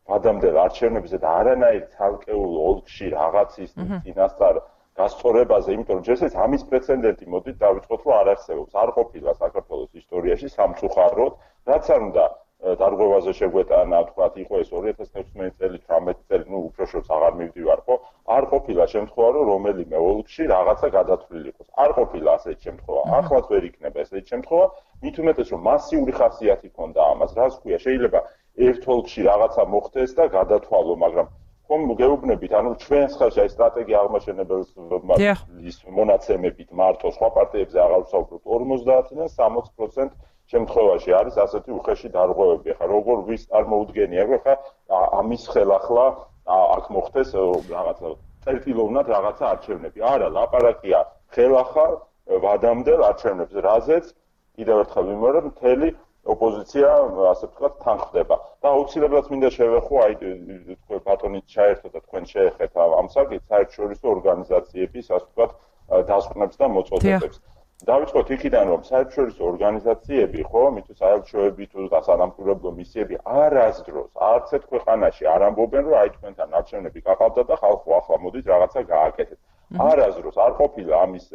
ადამიანელ არჩევნებზე და არანაირ ცალკეულ ოლქში რაღაცის წინასწარ გასწორებაზე, იმიტომ რომ ჯერჯერობით ამის პრეცედენტი მოდით დავიწყოთ, რომ არ არსებობს. არ ყოფილა საქართველოს ისტორიაში სამწუხაროდ, რაც არ უნდა დარღვევაზე შეგვეტანა, თქვათ, იყო ეს 2016 წელი, 18 წელი, უფრო შორს აღარ მივდივარ, ხო? არ ყოფილა შემთხვევა, რომ რომელიმე ოლქში რაღაცა გადათვლილი იყოს. არ ყოფილა ასეთი შემთხვევა. ახლაც ვერ იქნება ესეთი შემთხვევა, მით უმეტეს რომ მასიური ხასიათი ჰქონდა ამას. რას ქვია, შეიძლება ერთ ოლქში რაღაცა მოხდეს და გადათვალო, მაგრამ ხომ გეუბნებით, ანუ ჩვენს ხელში აი სტრატეგია აღმაშენებელის მონაცემებით მარტო სხვა პარტიებზე აღარ ვსაუბრობ 50-დან 60% შემთხვევაში არის ასეთი უხეში დარღვევები. ახლა როგორ ვის წარმოუდგენია, ახლა ამის ხელახლა აქ მოხდეს რაღაცა წერტილოვნად რაღაცა არჩევნები. არა, ლაპარაკია ხელახალ ვადამდელ არჩევნებზე, რაზეც კიდევ ერთხელ ვიმეორებ, მთელი ოპოზიცია ასე ვთქვათ თანხდება და აუცილებლად მინდა შევეხო აი თქვენ ბატონით ჩაერთო და თქვენ შეეხეთ ამ საკითხს საერთაშორისო ორგანიზაციების ასე ვთქვათ დასკვნებს და მოწოდებებს. დავიწყოთ იქიდან რომ საერთაშორისო ორგანიზაციები ხო მით საერთაშორისოები თუ დასანამკვირვებლო მისიები არასდროს არც ერთ ქვეყანაში არ ამბობენ რომ აი თქვენთან არჩევნები გაყავდა და ხალხო ახლა მოდით რაღაცა გააკეთეთ. არასდროს არ ყოფილა ამის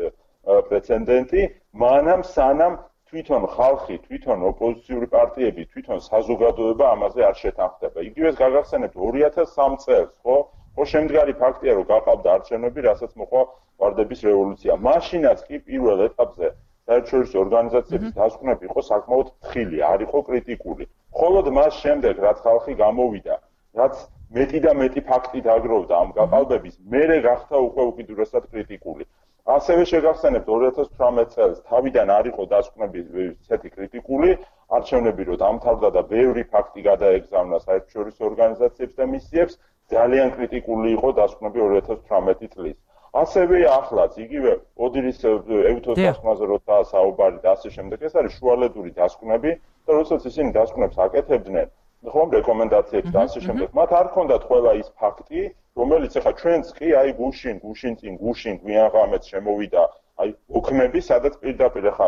პრეცედენტი, მანამ სანამ თვითონ ხალხი, თვითონ ოპოზიციური პარტიები, თვითონ საზოგადოება ამაზე არ შეთანხმდება. იგივეს გაგახსენებთ 2003 წელს, ხო? ხო შემდგარი ფაქტია, რომ გაყავდა არჩევნები, რასაც მოყვა ვარდების რევოლუცია. მაშინაც კი პირველ ეტაპზე საერთაშორისო ორგანიზაციების დასკვნები იყო საკმაოდ თხილი, არ იყო კრიტიკული. მხოლოდ მას შემდეგ, რაც ხალხი გამოვიდა, რაც მეტი და მეტი ფაქტი დაგროვდა ამ გაყალბების, მერე გახდა უკვე უკიდურესად კრიტიკული. ასევე შეგახსენებთ 2018 წელს თავიდან არ იყო დასკვნები ისეთი კრიტიკული, არჩევნები რო დამთავრდა და ბევრი ფაქტი გადაეგზავნა საერთაშორისო ორგანიზაციებს და მისიებს, ძალიან კრიტიკული იყო დასკვნები 2018 წლის. ასევე ახლაც იგივე ოდირის ევთოს დასკვნაზე როცა საუბარი და ასე შემდეგ, ეს არის შუალედური დასკვნები და როდესაც ისინი დასკვნებს აკეთებდნენ, ხომ რეკომენდაციებს და ასე შემდეგ, მათ არ ჰქონდათ ყველა ის ფაქტი, რომელიც ახლა ჩვენც კი აი გუშინ გვიან ღამეც შემოვიდა აი ოქმები, სადაც პირდაპირ ახლა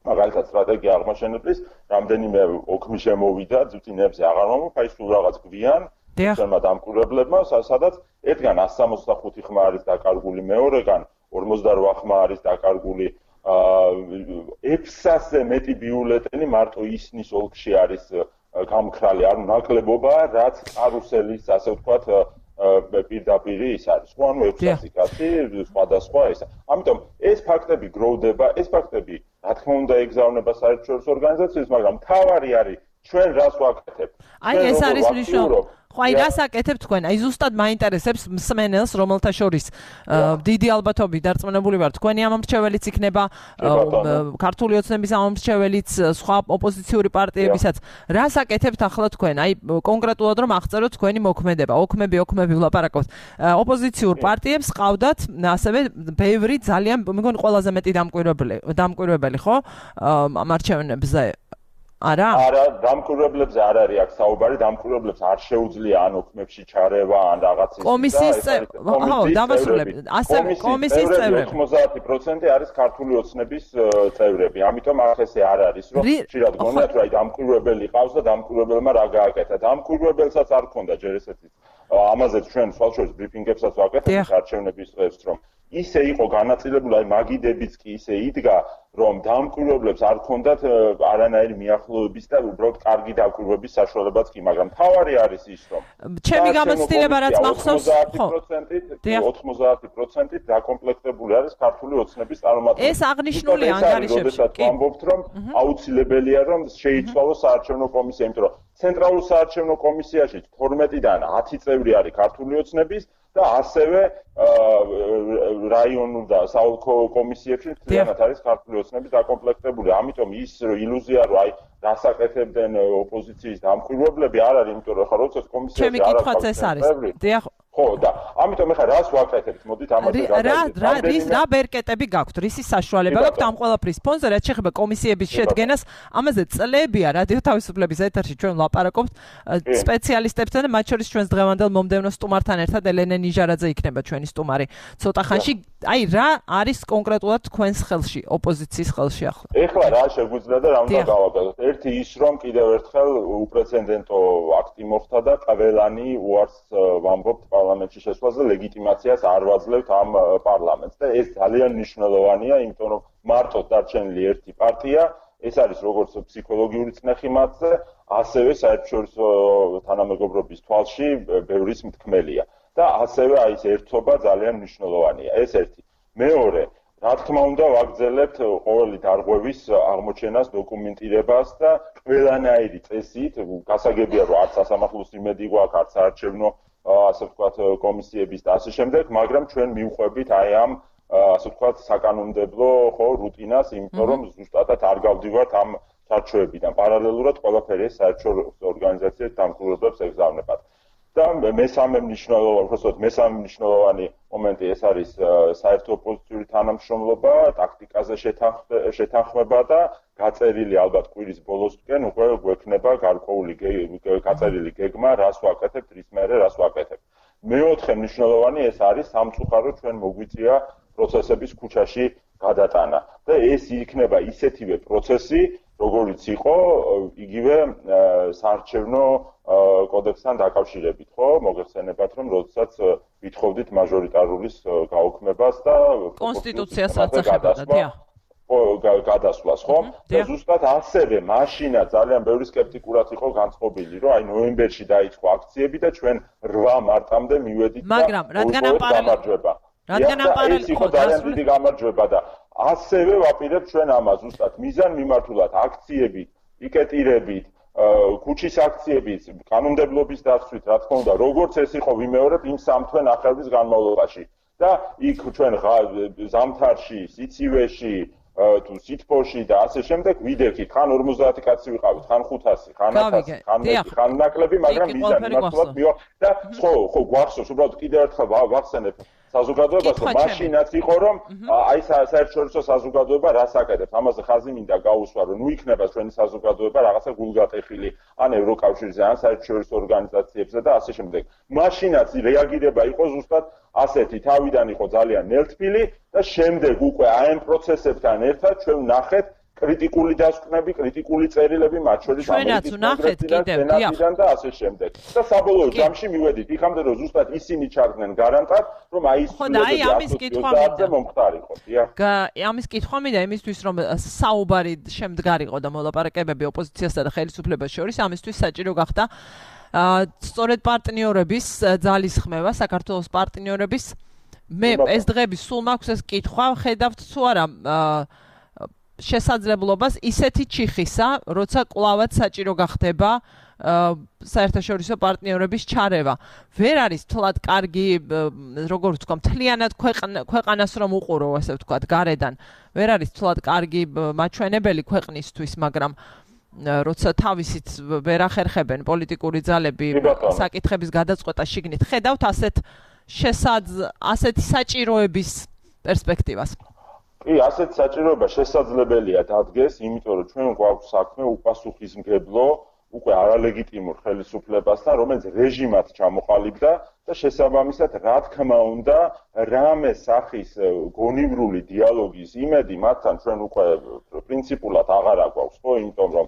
მაგალითად სტრატეგია აღმაშენებლის რამდენიმე ოქმი შემოვიდა, ძუძინებზე აღარ მომხ, აი სულ რაღაც გვიან თემა დამკვირვებლებმა, სადაც ერთგან 165 ხმა არის დაკარგული, მეორეგან 48 ხმა არის დაკარგული, 600-ზე მეტი ბიულეტენი მარტო ისნის ოლქში არის გამქრალი, ანუ ნაკლებობა, რაც კარუსელის, ასე ვთქვათ, პირდაპირი ის არის. ხო, ანუ 600 კაცი, სხვადასხვა ესა. ამიტომ ეს ფაქტები გროვდება, ეს ფაქტები, რა თქმა უნდა, ეგზავნება საერთაშორისო ორგანიზაციებს, მაგრამ თავარი არის ჩვენ რას ვაკეთებთ. აი ეს არის მნიშვნელოვანი. ხო, აი რას აკეთებთ თქვენ? აი ზუსტად მაინტერესებს მსმენელს, რომელთა შორის დიდი ალბათობით დარწმუნებული ვარ, თქვენი ამომრჩეველიც იქნება, ქართული ოცნების ამომრჩეველიც, სხვა ოპოზიციური პარტიებისაც. რას აკეთებთ ახლა თქვენ? აი კონკრეტულად რომ აღწეროთ თქვენი მოქმედება, ოქმები ვლაპარაკობთ. ოპოზიციურ პარტიებს ყავდათ ასევე ბევრი ძალიან, მეგონი ყველაზე მეტი დამკვირვებელი, ხო? ამ არჩევნებზე. არა, დამკვირვებლებზე არ არის აქ საუბარი, დამკვირვებლებს არ შეუძლია ან ოქმებში ჩარევა, ან რაღაც ის. კომისიის დამასრულებელი, ასე კომისიის წევრები 90% არის ქართული ოცნების წევრები. ამიტომ ახ ესე არ არის, რომ ხშირად გონიათ, რომ აი დამკვირვებელი ყავს და დამკვირვებელმა რა გააკეთა. დამკვირვებელსაც არ ქონდა ჯერ ესეთი. ამაზე ჩვენ სვალშორის ბრიფინგებსაც ვაკეთებთ არჩევნების დღეს, რომ ისე იყო განაწილებული, აი მაგიდებიც კი ისე იდგა, რომ დამკვირვებლებს არ ქონდათ არანაირი მიახლოების და უბრალოდ კარგი დაკვირვების საშუალებაც კი, მაგრამ თავარი არის ის, რომ ჩემი გამოცდილება რაც მახსოვს, 90% დაკომპლექტებული არის ქართული ოცნების წარმომადგენლები. ეს აღნიშნული ანგარიშებში. კი, ვამბობთ, რომ აუცილებელია, რომ შეიცვალოს საარჩევნო კომისია, იმიტომ რომ ცენტრალურ საარჩევნო კომისიაში 12-დან 10 წევრი არის ქართული ოცნების და ასევე რაიონულ და საოლქო კომისიებში მთლიანად არის ქართული ოცნების დაკომპლექტებული. ამიტომ ის ილუზია, რომ აი დასაკეთებდნენ ოპოზიციის დამკვირვებლები არ არის, იმიტომ რომ ხა როდესაც კომისიაში არ არის. ხო, და ამიტომ ეხლა რას ვაკეთებთ? მოდით ამაზე გადავიდეთ. რა ბერკეტები გაქვთ? რისი საშუალება გაქვთ ამ ყველაფრის ფონზე, რაც შეეხება კომისიების შედგენას? ამაზე წლებია რადიო თავისუფლების ეთერში ჩვენ ვლაპარაკობთ სპეციალისტებთან და მათ შორის ჩვენს დღევანდელ მომდევნო სტუმართან ერთად ელენე ნიჟარაძე იქნება ჩვენი სტუმარი ცოტა ხანში. აი რა არის კონკრეტულად თქვენს ხელში, ოპოზიციის ხელში ახლა? ეხლა რა შეგვიძლია და რა უნდა გავაკეთოთ? ერთი ის, რომ კიდევ ერთხელ უპრეცედენტო აქტი მოხდა და ყველანი უარს ვამბობთ პარლამენტში შესვლაზე, ლეგიტიმაციას არ ვაძლევთ ამ პარლამენტს და ეს ძალიან მნიშვნელოვანია, იმიტომ რომ მარტო დარჩენილი ერთი პარტია, ეს არის როგორც ფსიქოლოგიური წნეხი მათზე, ასევე საერთაშორისო თანამეგობრობის თვალში ბევრის მთქმელია და ასევე აი ეს ერთობა ძალიან მნიშვნელოვანია. ეს ერთი. მეორე, რა თქმა უნდა, ვაგრძელებთ ყოველი დარღვევის აღმოჩენას, დოკუმენტირებას და ყველანაირი წესით, გასაგებია, რომ არც სასამართლოს იმედი გვაქვს, არც საარჩევნო ასე ვთქვათ კომისიების და ასე შემდეგ, მაგრამ ჩვენ მივყვებით აი ამ ასე ვთქვათ საკანონმდებლო ხო რუტინას, იმიტომ რომ ზუსტადად არ გავდივართ ამ სარჩოებიდან. პარალელურად ყველაფერი საერთაშორისო ორგანიზაციებს დამკვირვებლებს ეგზავნებათ. და მესამე მნიშვნელოვანი მომენტი ეს არის საერთო ოპოზიციური თანამშრომლობა, ტაქტიკაზე შეთანხმება და გაწერილი ალბათ კვირის ბოლოსკენ უკვე გვექნება გარკვეული გაწერილი გეგმა, რას ვაკეთებთ, რის მერე რას ვაკეთებთ. მეოთხე მნიშვნელოვანი ეს არის სამწუხარო ჩვენ მოგვიწია პროცესების ქუჩაში გადატანა და ეს იქნება ისეთივე პროცესი, როგორიც იყო იგივე საარჩევნო კოდექსთან დაკავშირებით, ხო? მოგეხსენებათ, რომ როდესაც ვითხოვდით მაჟორიტარულის გაუქმებას და კონსტიტუციას აწეხებოდა, დიახ. გადასვლას, ხო? და ზუსტად ასევე მაშინა ძალიან ბევრი სკეპტიკურად იყო განწყობილი, რომ აი ნოემბერში დაიწყო აქციები და ჩვენ 8 მარტამდე მივედით და რადგან ამ ეს იყო ძალიან დიდი გამარჯვება და ასევე ვაპირებთ ჩვენ ამას ზუსტად მიზან მიმართულად აქციები, პიკეტირებით, ქუჩის აქციებით, კანონმდებლობის დაცვით, რა თქმა უნდა, როგორც ეს იყო ვიმეორებ იმ 3 თვე ნახევრის განმავლობაში და იქ ჩვენ ზამთარში, სიცივეში თუ სიტფოში და ასე შემდეგ ვიდექით, ხან 50 კაცი ვიყავით, ხან 500, ხან 1000, ხან 1, ხან ნაკლები, მაგრამ მიზანი მართლაც მივა და ხო გვახსოვს, უბრალოდ კიდევ ერთხელ ვახსენებ საზოგადოებას, რომ მაშინაც იყო, რომ აი საერთაშორისო საზოგადოება რას აკეთებს, ამაზე ხაზი მინდა გაუსვა, რომ ნუ იქნება ჩვენი საზოგადოება რაღაცა გულგატეხილი ან ევროკავშირზე, ან საერთაშორისო ორგანიზაციებზე და ასე შემდეგ. მაშინაც რეაგირება იყო ზუსტად ასეთი, თავიდან იყო ძალიან ნელთბილი და შემდეგ უკვე აი ამ პროცესებთან ერთად ჩვენ ვნახეთ კრიტიკული დასკვნები, კრიტიკული წერილები, მათ შორის ამერიკის კონგრესიდან და ასე შემდეგ. და საბოლოო ჯამში მივედით იქამდე, რომ ზუსტად ისინი ჩარგნენ გარანტად, რომ აი ის ამის კითხვა მინდა მომხდარიყო. ამის კითხვა მინდა იმისთვის, რომ საუბარი შემდგარიყო და მოლაპარაკებები ოპოზიციასა და ხელისუფლებას შორის, ამისთვის საჭირო გახდა სწორედ პარტნიორების ძალისხმევა, საქართველოს პარტნიორების. მე ეს დღეები სულ მაქვს ეს კითხვა, ხედავთ თუ არა შესაძლებლობას ისეთი ჩიხისა, როცა კლავად საჭირო გახდება საერთაშორისო პარტნიორების ჩარევა. ვერ არის თლად კარგი, როგორც ვთქვა, მთლიანად ქვეყანას რომ უყურო, ასე ვთქვა, გარედან. ვერ არის თლად კარგი მაჩვენებელი ქვეყნისთვის, მაგრამ როცა თავისით ვერ ახერხებენ პოლიტიკური ძალები საკითხების გადაწყვეტა შიგნით, ხედავთ ასეთი საჭიროების პერსპექტივას. კი, ასეთ საჭიროება შესაძლებელია დადგეს, იმიტომ რომ ჩვენ გვაქვს საქმე უპასუხისმგებლო, უკვე არალეგიტიმურ ხელისუფლებასთან, რომელიც რეჟიმად ჩამოყალიბდა და შესაბამისად, რა თქმა უნდა, რამე სახის გონივრული დიალოგის იმედი მათთან ჩვენ უკვე პრინციპულად აღარ აგვაქვს, ხო, იმიტომ რომ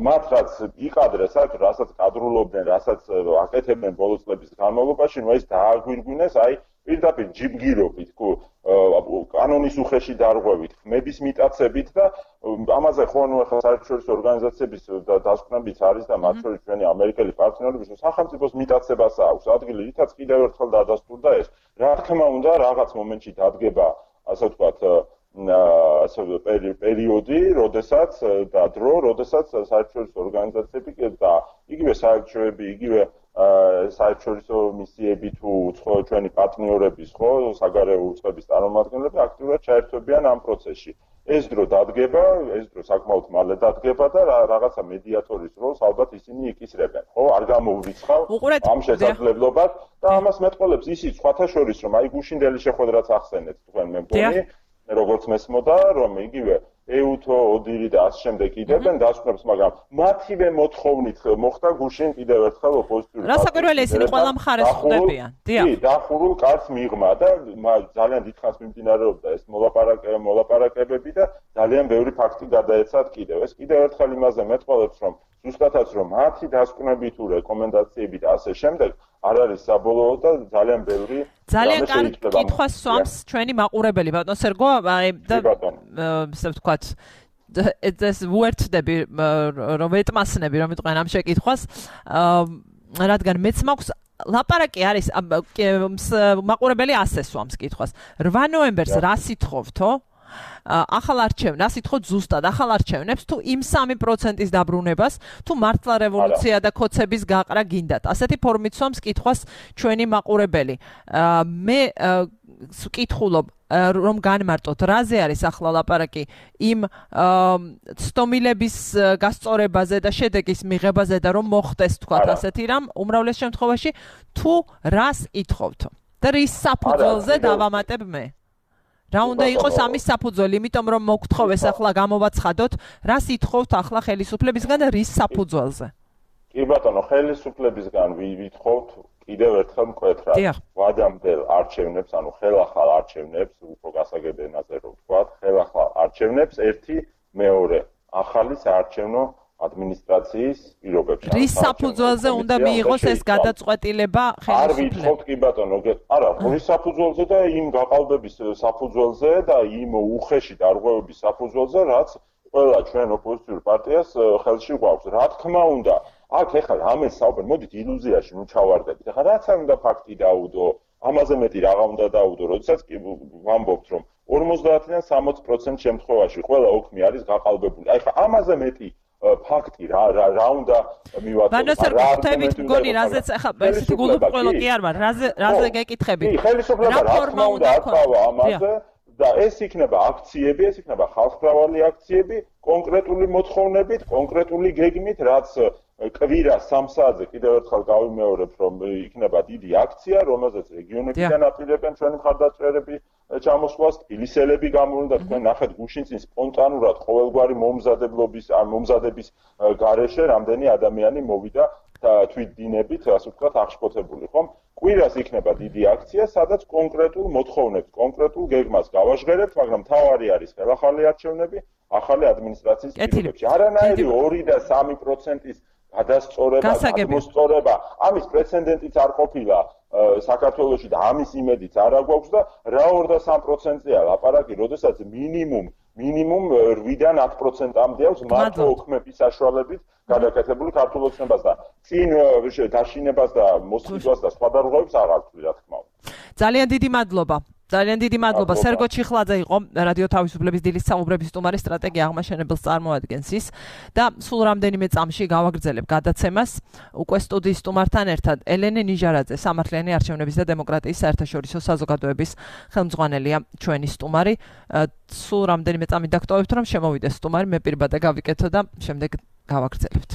მათ რაც იყადრეს, რასაც კადრულობდნენ, რასაც აკეთებდნენ ბოლო წლების განმავლობაში, ნუ ეს დააგვირგვინეს, აი პირდაპირ ჯიბგირობით, კანონის უხეში დარღვევით, ხმების მიტაცებით და ამაზე ხო ნუ ახლა საერთაშორისო ორგანიზაციების დასკვნებიც არის და მათ შორის ჩვენი ამერიკელი პარტნიორები, რომ სახელმწიფოს მიტაცებას აქვს ადგილი, რითაც კიდევ ერთხელ დადასტურდა ეს. რა თქმა უნდა, რაღაც მომენტში დადგება, ასე ვთქვათ, პერიოდი, როდესაც და დრო, როდესაც საერთაშორისო ორგანიზაციები და იგივე საერთაშორისო, იგივე საერთაშორისო მისიები თუ ჩვენი პარტნიორების, ხო, საგარეო უწყების წარმომადგენლები აქტიურად ჩაერთვებიან ამ პროცესში. ეს დრო დადგება, ეს დრო საკმაოდ მალე დადგება და რაღაცა მედიატორის როლს ალბათ ისინი იკისრებენ, ხო? არ გამოურიცხავ ამ შესაძლებლობას და ამას მეტყოლებს ისიც სხვათა შორის, რომ აი გუშინდელი შეხვედრაც ახსენეთ თქვენ მე მგონი, როგორც მესმოდა, რომ იგივე ეუთო, ოდირი და ამ შემდეგ იდებენ დასკვნებს, მაგრამ მათივე მოთხოვნით მოხდა გუშინ კიდევ ერთხელ ოპოზიციური რასაკვირველია ისინი ყველა მხარეს ხვდებიან. დიახ. კი, დახურულ კარს მიღმა და ძალიან დიდხანს მიმდინარეობდა ეს მოლაპარაკებები და ძალიან ბევრი ფაქტი გადაეცათ კიდევ. ეს კიდევ ერთხელ იმაზე მეტყოლებს, რომ ზუსტადაც რომ მათი დასკვნები თუ რეკომენდაციები და ასე შემდეგ არ არის საბოლოო და ძალიან ბევრი ძალიან კარგი კითხვას სვამს ჩვენი მაყურებელი ბატონ სერგო, აი და ასე ვთქვათ ეს ვუერთდები რომ ეტმასნები რომ იტყვიან ამ შეკითხვას, რადგან მეც მაქვს ლაპარაკი არის მაყურებელი ასე სვამს კითხვას. 8 ნოემბერს რა სიტყვთო? ახალ არჩევნებს, რა სიტყვით ზუსტად ახალ არჩევნებს თუ იმ 3%-ის დაბრუნებას, თუ მართლა რევოლუცია და კოცების გაყრა გინდათ. ასეთი ფორმით სვამს კითხვას ჩვენი მაყურებელი. მე ვკითხულობ რომ განმარტოთ, რაზე არის ახლა ლაპარაკი იმ ცდომილების გასწორებაზე და შედეგის მიღებაზე და რომ მოხდეს თქვათ ასეთი რამ უმრავლეს შემთხვევაში თუ რას ითხოვთ და რის საფუძველზე დავამატებ მე? რა უნდა იყოს ამის საფუძველი, იმიტომ რომ მოგთხოვეს ახლა გამოვაცხადოთ, რას ითხოვთ ახლა ხელისუფლებისგან და რის საფუძველზე? კი ბატონო, ხელისუფლებისგან ვითხოვთ კიდევ ერთხელ მკვეთრად ვადამდელ არჩევნებს, ანუ ხელახალ არჩევნებს, უფრო გასაგებ ენაზე რომ ვთქვათ, ხელახალ არჩევნებს, ერთი, მეორე, ახალ ახალი საარჩევნო ადმინისტრაციის პირობებში. რის საფუძველზე უნდა მიიღოს ეს გადაწყვეტილება ხელისუფლებას? არ ვიცხოვთ კი ბატონო, არა, რის საფუძველზე და იმ გაყალბების საფუძველზე და იმ უხეში დარღვევების საფუძველზე, რაც ყველა ჩვენ ოპოზიციურ პარტიას ხელში გვაქვს. რა თქმა უნდა, აქ ეხლა ამას საუბარი, მოდით ილუზიაში ნუ ჩავარდებით. ეხლა რაც არ უნდა ფაქტი დაუდო, ამაზე მეტი რაღა უნდა დაუდო, როდესაც კი ვამბობთ, რომ 50-დან 60% შემთხვევაში ყველა ოქმი არის გაყალბებული. აი ხა ამაზე მეტი ფაქტი რა უნდა მივაწოდოთ. ბანოსერ გხდებით მგონი რაზეც ახლა ესეთი გულუბრყვილო კი არ ვარ. რაზე გეკითხებით? კი, ხელისუფლება რა თქმა უნდა აკავა ამაზე და ეს იქნება აქციები, ეს იქნება ხალხმრავალი აქციები, კონკრეტული მოთხოვნებით, კონკრეტული გეგმით, რაც კვირა 3 საათზე კიდევ ერთხელ გავიმეორებ, რომ იქნება დიდი აქცია, რომელზეც რეგიონებიდან აპირებენ ჩვენი მხარდაჭერები ჩამოსვლას, თბილისელები გამოვიდნენ და თქვენ ნახეთ გუშინ წინ სპონტანურად ყოველგვარი მომზადების გარეშე რამდენი ადამიანი მოვიდა თვითდინებით, ასე ვთქვათ, აღშფოთებული, ხომ? კვირას იქნება დიდი აქცია, სადაც კონკრეტულ მოთხოვნებს, კონკრეტულ გეგმას გავაჟღერებთ, მაგრამ თავარი არის ხელახალი არჩევნები, ახალი ადმინისტრაციის პირობებში. არანაირი 2 და 3%-ის გადასწორება, გადმოსწორება, ამის პრეცედენტიც არ ყოფილა საქართველოში და ამის იმედიც არ აგვაქვს და რა 2 და 3%-ია ლაპარაკი, როდესაც მინიმუმ 8-დან 10%-მდე აქვს მარტო ოქმების საშუალებით გადაკეთებული ქართულ ოცნებას და წინ დაშინებას და მოსყიდვას და სხვა დარღვევებს არ აქვს, რა თქმა უნდა. ძალიან დიდი მადლობა. ძალიან დიდი მადლობა. სერგო ჩიხლაძე იყო რადიო თავისუფლების დილის საუბრების სტუმარი, სტრატეგია აღმაშენებელს წარმოადგენს ის და სულ რამდენიმე წამში გავაგრძელებ გადაცემას უკვე სტუდიის სტუმართან ერთად. ელენე ნიჟარაძე, სამართლიანი არჩევნების და დემოკრატიის საერთაშორისო საზოგადოების ხელმძღვანელია ჩვენი სტუმარი. სულ რამდენიმე წამი დაგტოვებთ, რომ შემოვიდეს სტუმარი, მე პირბადე გავიკეთო და შემდეგ გავაგრძელებთ.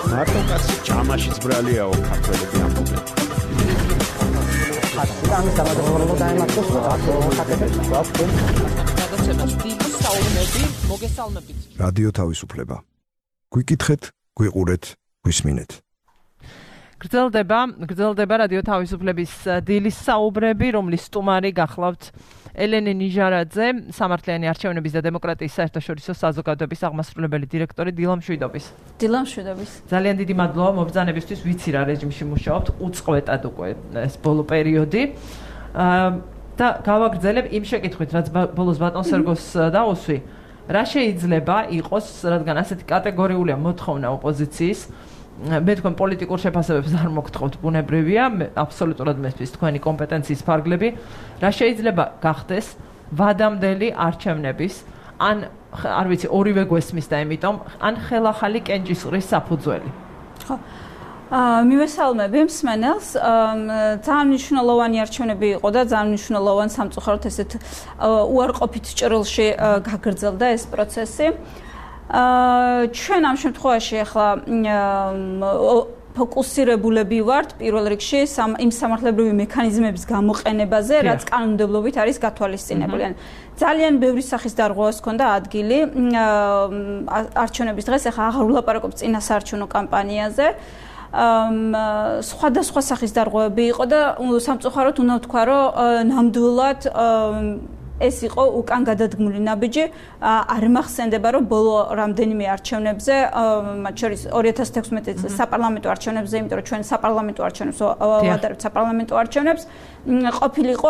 მარტო კაცი ჭამაშიც ბრალიაო ქართველები ამბობენ. ამის დამადროულობა დაემართოს რადიო თავისუფლება. გვიკითხეთ, გვიყურეთ, გვისმინეთ. გრძელდება რადიო თავისუფლების დილის საუბრები, რომლის სტუმარი გახლავთ ელენე ნიჟარაძე, სამართლიანი არჩევნების და დემოკრატიის საერთაშორისო საზოგადოების აღმასრულებელი დირექტორი დილამ შვიდობის. ძალიან დიდი მადლობა მობრძანებისთვის, ვიცი რა რეჟიმში მუშაობთ, უწყვეტად უკვე ეს ბოლო პერიოდი. და გავაგრძელებ იმ შეკითხვით, რაც ბოლოს ბატონ სერგოს დაუსვი. რა შეიძლება იყოს, რადგან ასეთი კატეგორიულია მოთხოვნა ოპოზიციის, მე თქვენ პოლიტიკურ შეფასებებს არ მოგთხოვთ, ბუნებრივია, აბსოლუტურად მესმის თქვენი კომპეტენციის ფარგლები. რა შეიძლება გახდეს ვადამდელი არჩევნების, ან არ ვიცი, ორივე გვესმის და იმიტომ, ან ხელახალი კენჭისყრის საფუძველი? ხო. მივესალმები მსმენელს. ძალიან მნიშვნელოვანი არჩევნები იყო და ძალიან მნიშვნელოვანი სამწუხაროდ ესეთ უარყოფით ჭრილში გაგრძელდა ეს პროცესი. ჩვენ ამ შემთხვევაში ახლა ფოკუსირებულები ვართ პირველ რიგში იმ სამართლებრივი მექანიზმების გამოყენებაზე, რაც კანონმდებლობით არის გათვალისწინებული. ძალიან ბევრი სახის დარღვევას ჰქონდა ადგილი არჩევნების დღეს, ახლა აღარ ვლაპარაკობ წინა საარჩევნო კამპანიაზე. სხვადასხვა სახის დარღვევები იყო და სამწუხაროდ უნდა ვთქვა, რომ ნამდვილად ეს იყო უკან გადადგმული ნაბიჯი. არ მახსენდება, რომ ბოლო რამდენიმე არჩევნებზე, მათ შორის 2016 წლის საპარლამენტო არჩევნებზე, იმიტომ რომ ჩვენ საპარლამენტო არჩევნებს ვადარებთ საპარლამენტო არჩევნებს, ყოფილიყო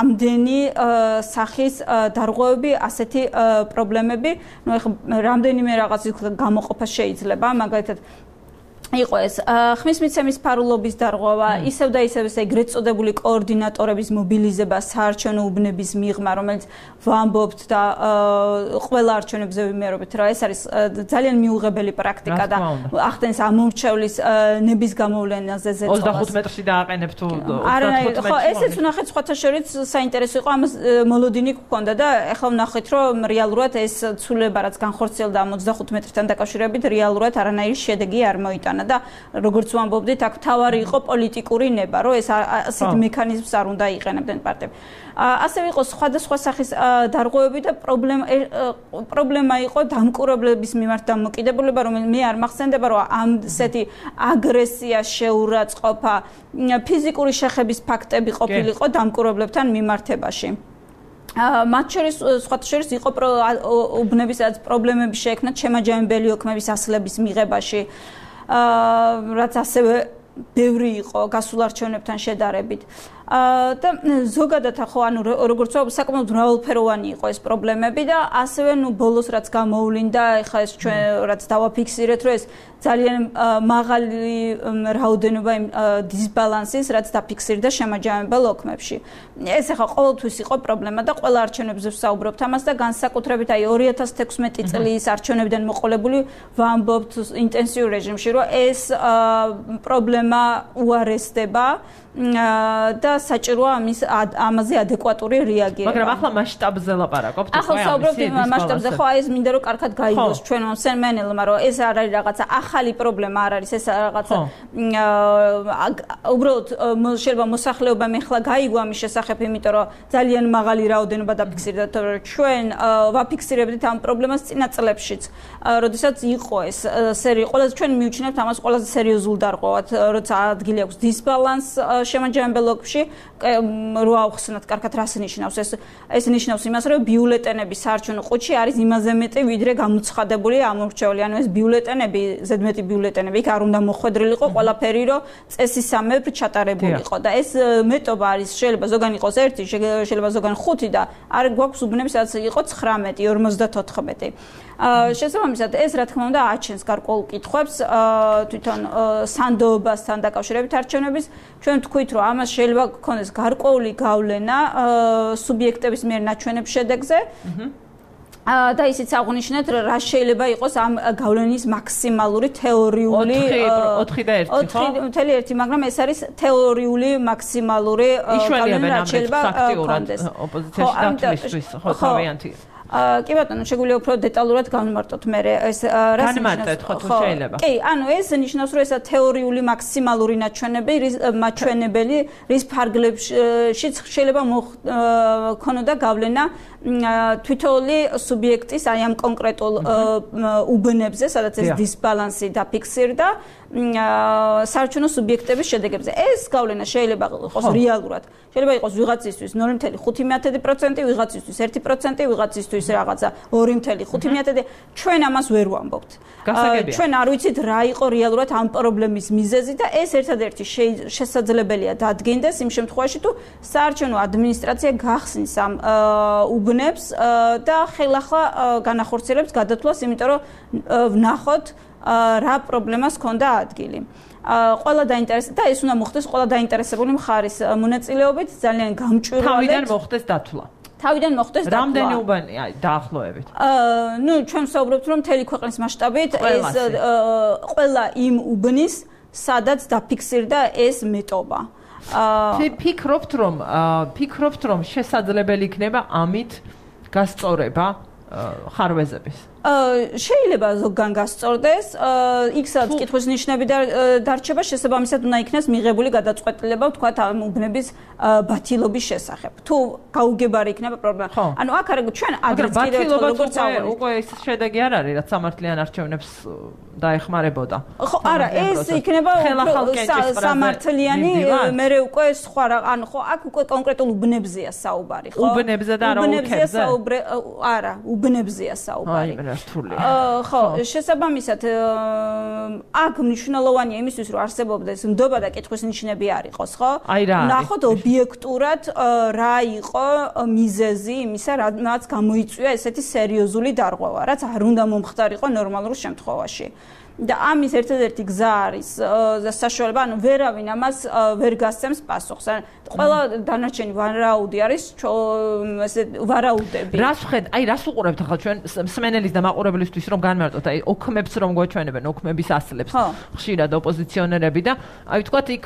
ამდენი სახის დარღვევები, ასეთი პრობლემები. ნუ ეხლა რამდენიმე რაღაცის გამოყოფა შეიძლება, მაგალითად იყო ეს ხმის მიცემის ფარულობის დარღვევა, ისევ და ისევ ეს ეგრეთ წოდებული კოორდინატორების მობილიზება საარჩევნო უბნების მიღმა, რომელიც ვამბობთ და ყველა არჩევნებზე ვიმეორებთ, რა ეს არის ძალიან მიუღებელი პრაქტიკა და ახდენს ამომრჩევლის ნების გამოვლენაზე ზეწოლას. 25 მეტრში დააყენებ თუ 25 ხო, ესეც ვნახეთ სხვათა შორის საინტერესო იყო, ამას მოლოდინი გქონდა და ახლა ვნახეთ, რომ რეალურად ეს ცვლილება რაც განხორციელდა 25 მეტრთან დაკავშირებით, რეალურად არანაირი შედეგი არ მოიტანა. გაიტანა და როგორც ვამბობდით, აქ თავარი იყო პოლიტიკური ნება, რომ ეს ასეთ მექანიზმს არ უნდა იყენებდნენ პარტიები. ასევე იყო სხვადასხვა სახის დარღვევები და პრობლემა იყო დამკვირვებლების მიმართ დამოკიდებულება, რომელიც მე არ მახსენდება, რომ ამ ესეთი აგრესია, შეურაცხყოფა, ფიზიკური შეხების ფაქტები ყოფილიყო დამკვირვებლებთან მიმართებაში. მათ შორის სხვათა შორის იყო უბნების პრობლემები შეექმნა შემაჯამებელი ოქმების ასლების მიღებაში, რაც ასევე ბევრი იყო გასულ არჩევნებთან შედარებით. და ზოგადად ხო ანუ როგორც ვთქვი საკმაოდ მრავალფეროვანი იყო ეს პრობლემები და ასევე ბოლოს რაც გამოვლინდა ეხლა ეს ჩვენ რაც დავაფიქსირეთ რომ ეს ძალიან მაღალი რაოდენობა დისბალანსის რაც დაფიქსირდა შემაჯამებელ ოქმებში ეს ეხლა ყოველთვის იყო პრობლემა და ყველა არჩევნებზე ვსაუბრობთ ამას და განსაკუთრებით აი 2016 წლის არჩევნებიდან მოყოლებული ვამბობთ ინტენსიურ რეჟიმში რომ ეს პრობლემა უარესდება და საჭიროა ამაზე ადეკვატური რეაგირება. მაგრამ ახლა მასშტაბზე ლაპარაკობთ, ახლა საუბრობთ მასშტაბზე, ხო აი ეს მინდა რომ კარგად გაიგოს ჩვენ მსმენელმა, რომ ეს არ არის რაღაცა ახალი პრობლემა არ არის, ეს რაღაცა უბრალოდ შეიძლება მოსახლეობამ ეხლა გაიგო ამის შესახებ, იმიტომ რომ ძალიან მაღალი რაოდენობა დაფიქსირდა, რომ ჩვენ ვაფიქსირებდით ამ პრობლემას წინა წლებშიც, როდესაც იყო ეს ყველაზე ჩვენ მივჩნევთ ამას ყველაზე სერიოზულ დარღვევად, როცა ადგილი აქვს დისბალანს შემაჯამებელ ოქში რო ავხსნათ კარგად რას ნიშნავს ეს ნიშნავს იმას რომ ბიულეტენები საარჩევნო ყუთში არის იმაზე მეტი ვიდრე გამოცხადებული ამორჩეული ანუ ეს ბიულეტენები ზედმეტი ბიულეტენები იქ არ უნდა მოხვედრილიყო ყველაფერი რომ წესისამებრ ჩატარებულიყო და ეს მეტობა არის შეიძლება ზოგან იყოს 1 შეიძლება ზოგან 5 და არ გვაქვს უბნები სადაც იყო 19 54 შესაბამისად ეს რა თქმა უნდა აჩენს გარკვეულ კითხვებს თვითონ სანდოობასთან დაკავშირებით არჩევნების ჩვენ თქვით რომ ამას შეიძლება გქონდეს გარკვეული გავლენა სუბიექტების მიერ ნაჩვენებ შედეგზე და ისიც აღნიშნეთ რა შეიძლება იყოს ამ გავლენის მაქსიმალური თეორიული 4.1 მაგრამ ეს არის თეორიული მაქსიმალური გავლენა რა შეიძლება გქონდეს ოპოზიციაში დათვლისთვის ხო თავიანთი კი ბატონო, შეგვიძლია უფრო დეტალურად განვმარტოთ მე ეს რას ნიშნავს ხო თუ შეიძლება. კი, ანუ ეს ნიშნავს რომ ესა თეორიული მაქსიმალური მაჩვენებელი რის ფარგლებშიც შეიძლება მოქონოდა გავლენა თვითონი სუბიექტის აი ამ კონკრეტულ უბნებზე, სადაც ეს დისბალანსი დაფიქსირდა საარჩევნო სუბიექტების შედეგებზე. ეს გავლენა შეიძლება იყოს რეალურად. შეიძლება იყოს ვიღაცისთვის 0.5%, ვიღაცისთვის 1%, ვიღაცისთვის რაღაცა 2.5%. ჩვენ ამას ვერ ვამბობთ. ჩვენ არ ვიცით რა იყო რეალურად ამ პრობლემის მიზეზი და ეს ერთადერთი შესაძლებელია დადგენდეს იმ შემთხვევაში თუ საარჩევნო ადმინისტრაცია გახსნის ამ უბნებს და ხელახლა განახორციელებს გადათვლას, იმიტომ რომ ვნახოთ რა პრობლემას ჰქონდა ადგილი. ყველა დაინტერესებული და ეს უნდა მოხდეს ყველა დაინტერესებული მხარის მონაწილეობით ძალიან გამჭვირვალედ. თავიდან მოხდეს დათვლა. თავიდან მოხდეს დათვლა. რამდენი უბანია დაახლოებით? ჩვენ ვსაუბრობთ რომ მთელი ქვეყნის მასშტაბით ეს ყველა იმ უბნის სადაც დაფიქსირდა ეს მეტობა. ფიქრობთ რომ შესაძლებელი იქნება ამით გასწორება ხარვეზების? შეიძლება ზოგან გასწორდეს, იქ სადაც კითხვის ნიშნები დარჩება, შესაბამისად უნდა იქნას მიღებული გადაწყვეტილება, ვთქვათ, ამ უბნების ბათილობის შესახებ. თუ გაუგებარი იქნება პრობლემა. ანუ აქ არა ჩვენ ადრეც კიდევ როგორც ავალი. უკვე ეს შედეგი არ არის, რაც სამართლიან არჩევნებს დაეხმარებოდა. ხო, არა, ეს იქნება სამართლიანი, მე უკვე სხვა რა, ანუ ხო, აქ უკვე კონკრეტულ უბნებზეა საუბარი, ხო? უბნებზე და არა ოლქებზე? არა, უბნებზეა საუბარი. ხო, შესაბამისად აქ მნიშვნელოვანია იმისთვის რომ არსებობდეს ნდობა და კითხვის ნიშნები არ იყოს, ხო? ნახოთ ობიექტურად რა იყო მიზეზი იმისა, რაც გამოიწვია ესეთი სერიოზული დარღვევა, რაც არ უნდა მომხდარიყო ნორმალურ შემთხვევაში. და ამის ერთადერთი გზა არის საშუალება, ანუ ვერავინ ამას ვერ გასცემს პასუხს. ყველა დანარჩენი ვარაუდი არის ესე ვარაუდები. რას ვხედავთ? აი რას უყურებთ ახლა ჩვენ მსმენელის და მაყურებლისთვის რომ განმარტოთ, აი ოქმებს რომ გვაჩვენებენ, ოქმების ასლებს, ხშირად ოპოზიციონერები და აი ვთქვათ იქ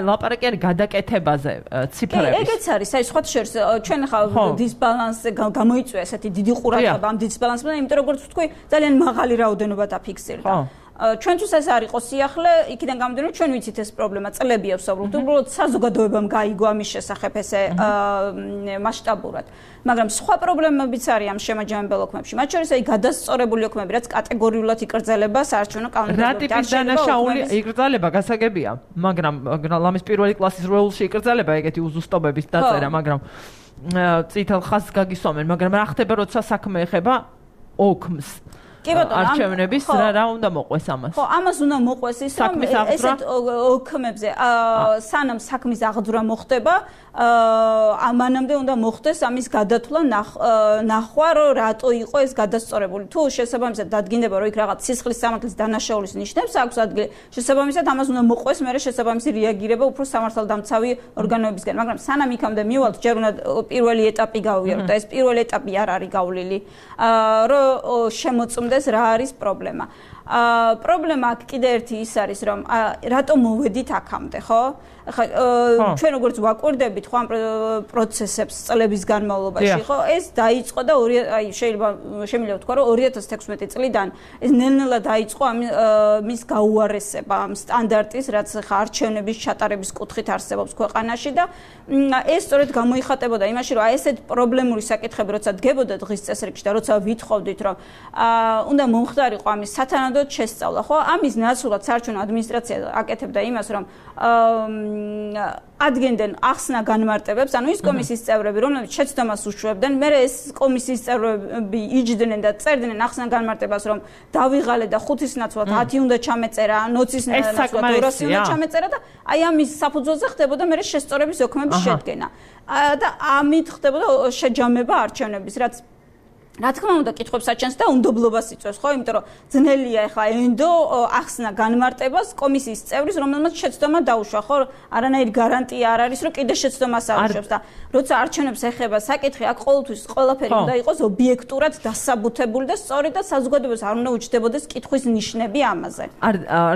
ლაპარაკი არის გადაკეთებაზე ციფრების. კი, ეგეც არის, აი სხვათა შორის ჩვენ ახლა დისბალანსზე გამოიწვია ესეთი დიდი ყურადღება ამ დისბალანსმა, იმიტომ როგორც ვთქვი, ძალიან მაღალი რაოდენობა დაფიქსირდა. ჩვენთვის ეს არ იყო სიახლე, იქიდან გამომდინარე ჩვენ ვიცით ეს პრობლემა წლებია ვსაუბრობთ, უბრალოდ საზოგადოებამ გაიგო ამის შესახებ ესე მასშტაბურად. მაგრამ სხვა პრობლემებიც არის ამ შემაჯამებელ ოქმებში. მათ შორის აი გადასწორებული ოქმები, რაც კატეგორიულად იკრძალება საარჩევნო კანონმდებლობით. რა ტიპის დანაშაული იკრძალება გასაგებია, მაგრამ ლამის პირველი კლასის როულში იკრძალება ეგეთი უზუსტობების დაწერა, მაგრამ წითელ ხაზს გაგისვამენ, მაგრამ რა ხდება, როცა საქმე ეხება ოქმს? კი ბატონო, არჩევნების რა უნდა მოყვეს ამას? ხო, ამას უნდა მოყვეს ის, რომ ესეთ ოქმებზე სანამ საქმის აღძვრა მოხდება, მანამდე უნდა მოხდეს ამის გადათვლა, ნახვა, რომ რატო იყო ეს გადასწორებული. თუ შესაბამისად დადგინდება, რომ იქ რაღაც სისხლის სამართლის დანაშაულის ნიშნებს აქვს ადგილი, შესაბამისად ამას უნდა მოყვეს მერე შესაბამისი რეაგირება უფრო სამართალდამცავი ორგანოებისგან. მაგრამ სანამ იქამდე მივალთ, ჯერ უნდა პირველი ეტაპი გავიაროთ და ეს პირველი ეტაპი არ არის გავლილი, რომ შემოწმდეს რა არის პრობლემა. პრობლემა აქ კიდე ერთი ის არის, რომ რატომ მოვედით აქამდე, ხო? ხა ჩვენ როგორც ვაკვირდებით ხო ამ პროცესებს წლების განმავლობაში, ხო? ეს დაიწყო და შეიძლება ვთქვა, რომ 2016 წლიდან ეს ნელ-ნელა დაიწყო მის გაუარესება, ამ სტანდარტის, რაც ხა არჩევნების ჩატარების კუთხით არსებობს ქვეყანაში და ეს სწორედ გამოიხატებოდა იმაში, რომ აი ესეთ პრობლემური საკითხები, როცა დგებოდა დღის წესრიგში და როცა ვითხოვდით, რომ უნდა მომხდარიყო ამის სათანადოდ შესწავლა, ხო? ამის ნაცვლად საარჩევნო ადმინისტრაცია აკეთებდა იმას, რომ ადგენდნენ ახსნა განმარტებებს, ანუ ის კომისიის წევრები, რომლებიც შეცდომას უშვებდნენ, მერე ეს კომისიის წევრები იჯდნენ და წერდნენ ახსნა განმარტებას, რომ დავიღალე და 5-ის ნაცვლად 10 უნდა ჩამეწერა, 20-ის ნაცვლად 200 უნდა ჩამეწერა და აი ამის საფუძველზე ხდებოდა მერე შესწორების ოქმების შედგენა. და ამით ხდებოდა შეჯამება არჩევნების, რაც რა თქმა უნდა კითხვებს აჩენს და უნდობლობას იწვევს, ხო? იმიტომ რომ ძნელია ახლა ენდო ახსნა განმარტებას კომისიის წევრის, რომელმაც შეცდომა დაუშვა, ხო? არანაირი გარანტია არ არის, რომ კიდე შეცდომას აუშვებს და როცა არჩევნებს ეხება საკითხი, აქ ყოველთვის ყველაფერი უნდა იყოს ობიექტურად დასაბუთებული და სწორი და საზოგადოებას არ უნდა უჩნდებოდეს კითხვის ნიშნები ამაზე. არ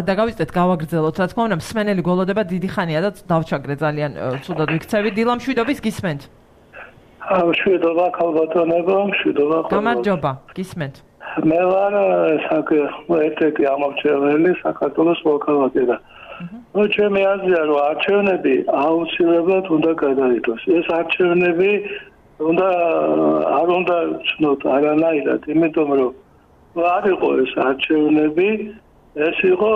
დაგავიწყდეთ, გავაგრძელოთ, რა თქმა უნდა, მსმენელი გველოდება დიდი ხანია და დავჩაგრე ძალიან ცუდად ვიქცევით. დილა მშვიდობის გისმენთ? მშვიდობა ქალბატონებო, მშვიდობა. გამარჯობა, გისმენთ. მე ვარ ერთ-ერთი ამომრჩეველი საქართველოს მოქალაქე. ჩემი აზრია, რომ არჩევნები აუცილებლად უნდა გადაიდოს. ეს არჩევნები არ უნდა ვცნოთ არანაირად, იმიტომ რომ არ იყო ეს არჩევნები, ეს იყო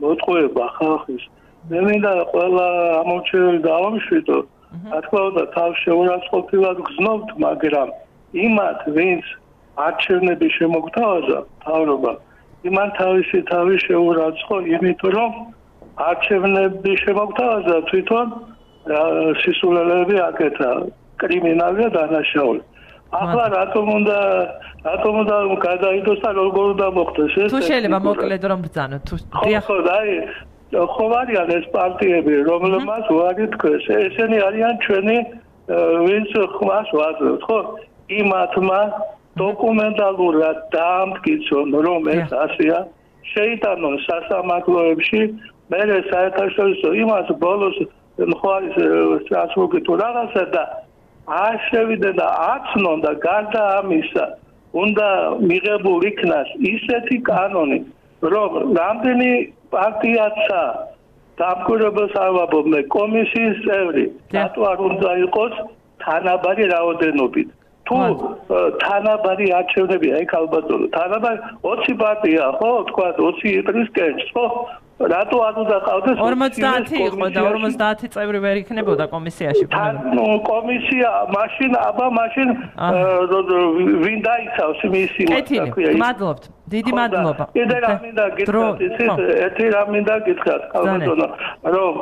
მოტყუება ხალხის. მე მინდა ყველა ამომრჩეველი დავამშვიდო. რა თქმა უნდა, თავს შეურაცხყოფილად გრძნობთ, მაგრამ იმათ, ვინც არჩევნები შემოგთავაზა მთავრობა, იმან თავისი თავი შეურაცხო, იმიტომ რომ არჩევნები შემოგთავაზა თვითონ სისულელეები აკეთა, კრიმინალი და დანაშაული. ახლა რატომ უნდა გადაიდოს და როგორ უნდა მოხდეს ეს? თუ შეიძლება მოკლედ რომ ბრძანოთ, თუ ხო, ხო არიან ეს პარტიები, რომლებმაც უარი თქვეს. ესენი არიან ჩვენი ვინც ხმას ვაძლევთ, ხო? იმათმა დოკუმენტალურად დაამტკიცონ, რომ ეს ასეა, შეიტანონ სასამართლოებში, მერე საერთაშორისო იმას ბოლოს მხარის სასწრაფო თუ რაღაცა და არ შევიდნენ და აცნონ და გარდა ამისა უნდა მიღებულ იქნას ისეთი კანონი, რომ რამდენი პარტიაცა დამკვირვებელს არ ვაბობდნენ კომისიის წევრი, რატო არ უნდა იყოს თანაბარი რაოდენობით. თუ თანაბარი არჩევნებია, ეგ ალბათო, თანაბარი 20 პარტია, ხო, თქვა 20 იტრის კენჭს, ხო? რატო არ უნდა ყავდეს 50 იყო და 50 წევრი ვერ იქნებოდა კომისიაში. ნუ კომისია მაშინ ვინ დაიცავს მისი მოთქვია. მადლობთ. დიდი მადლობა. კიდე რა მინდა გითხრათ, ერთი რა მინდა გითხრათ, ალბათო, რომ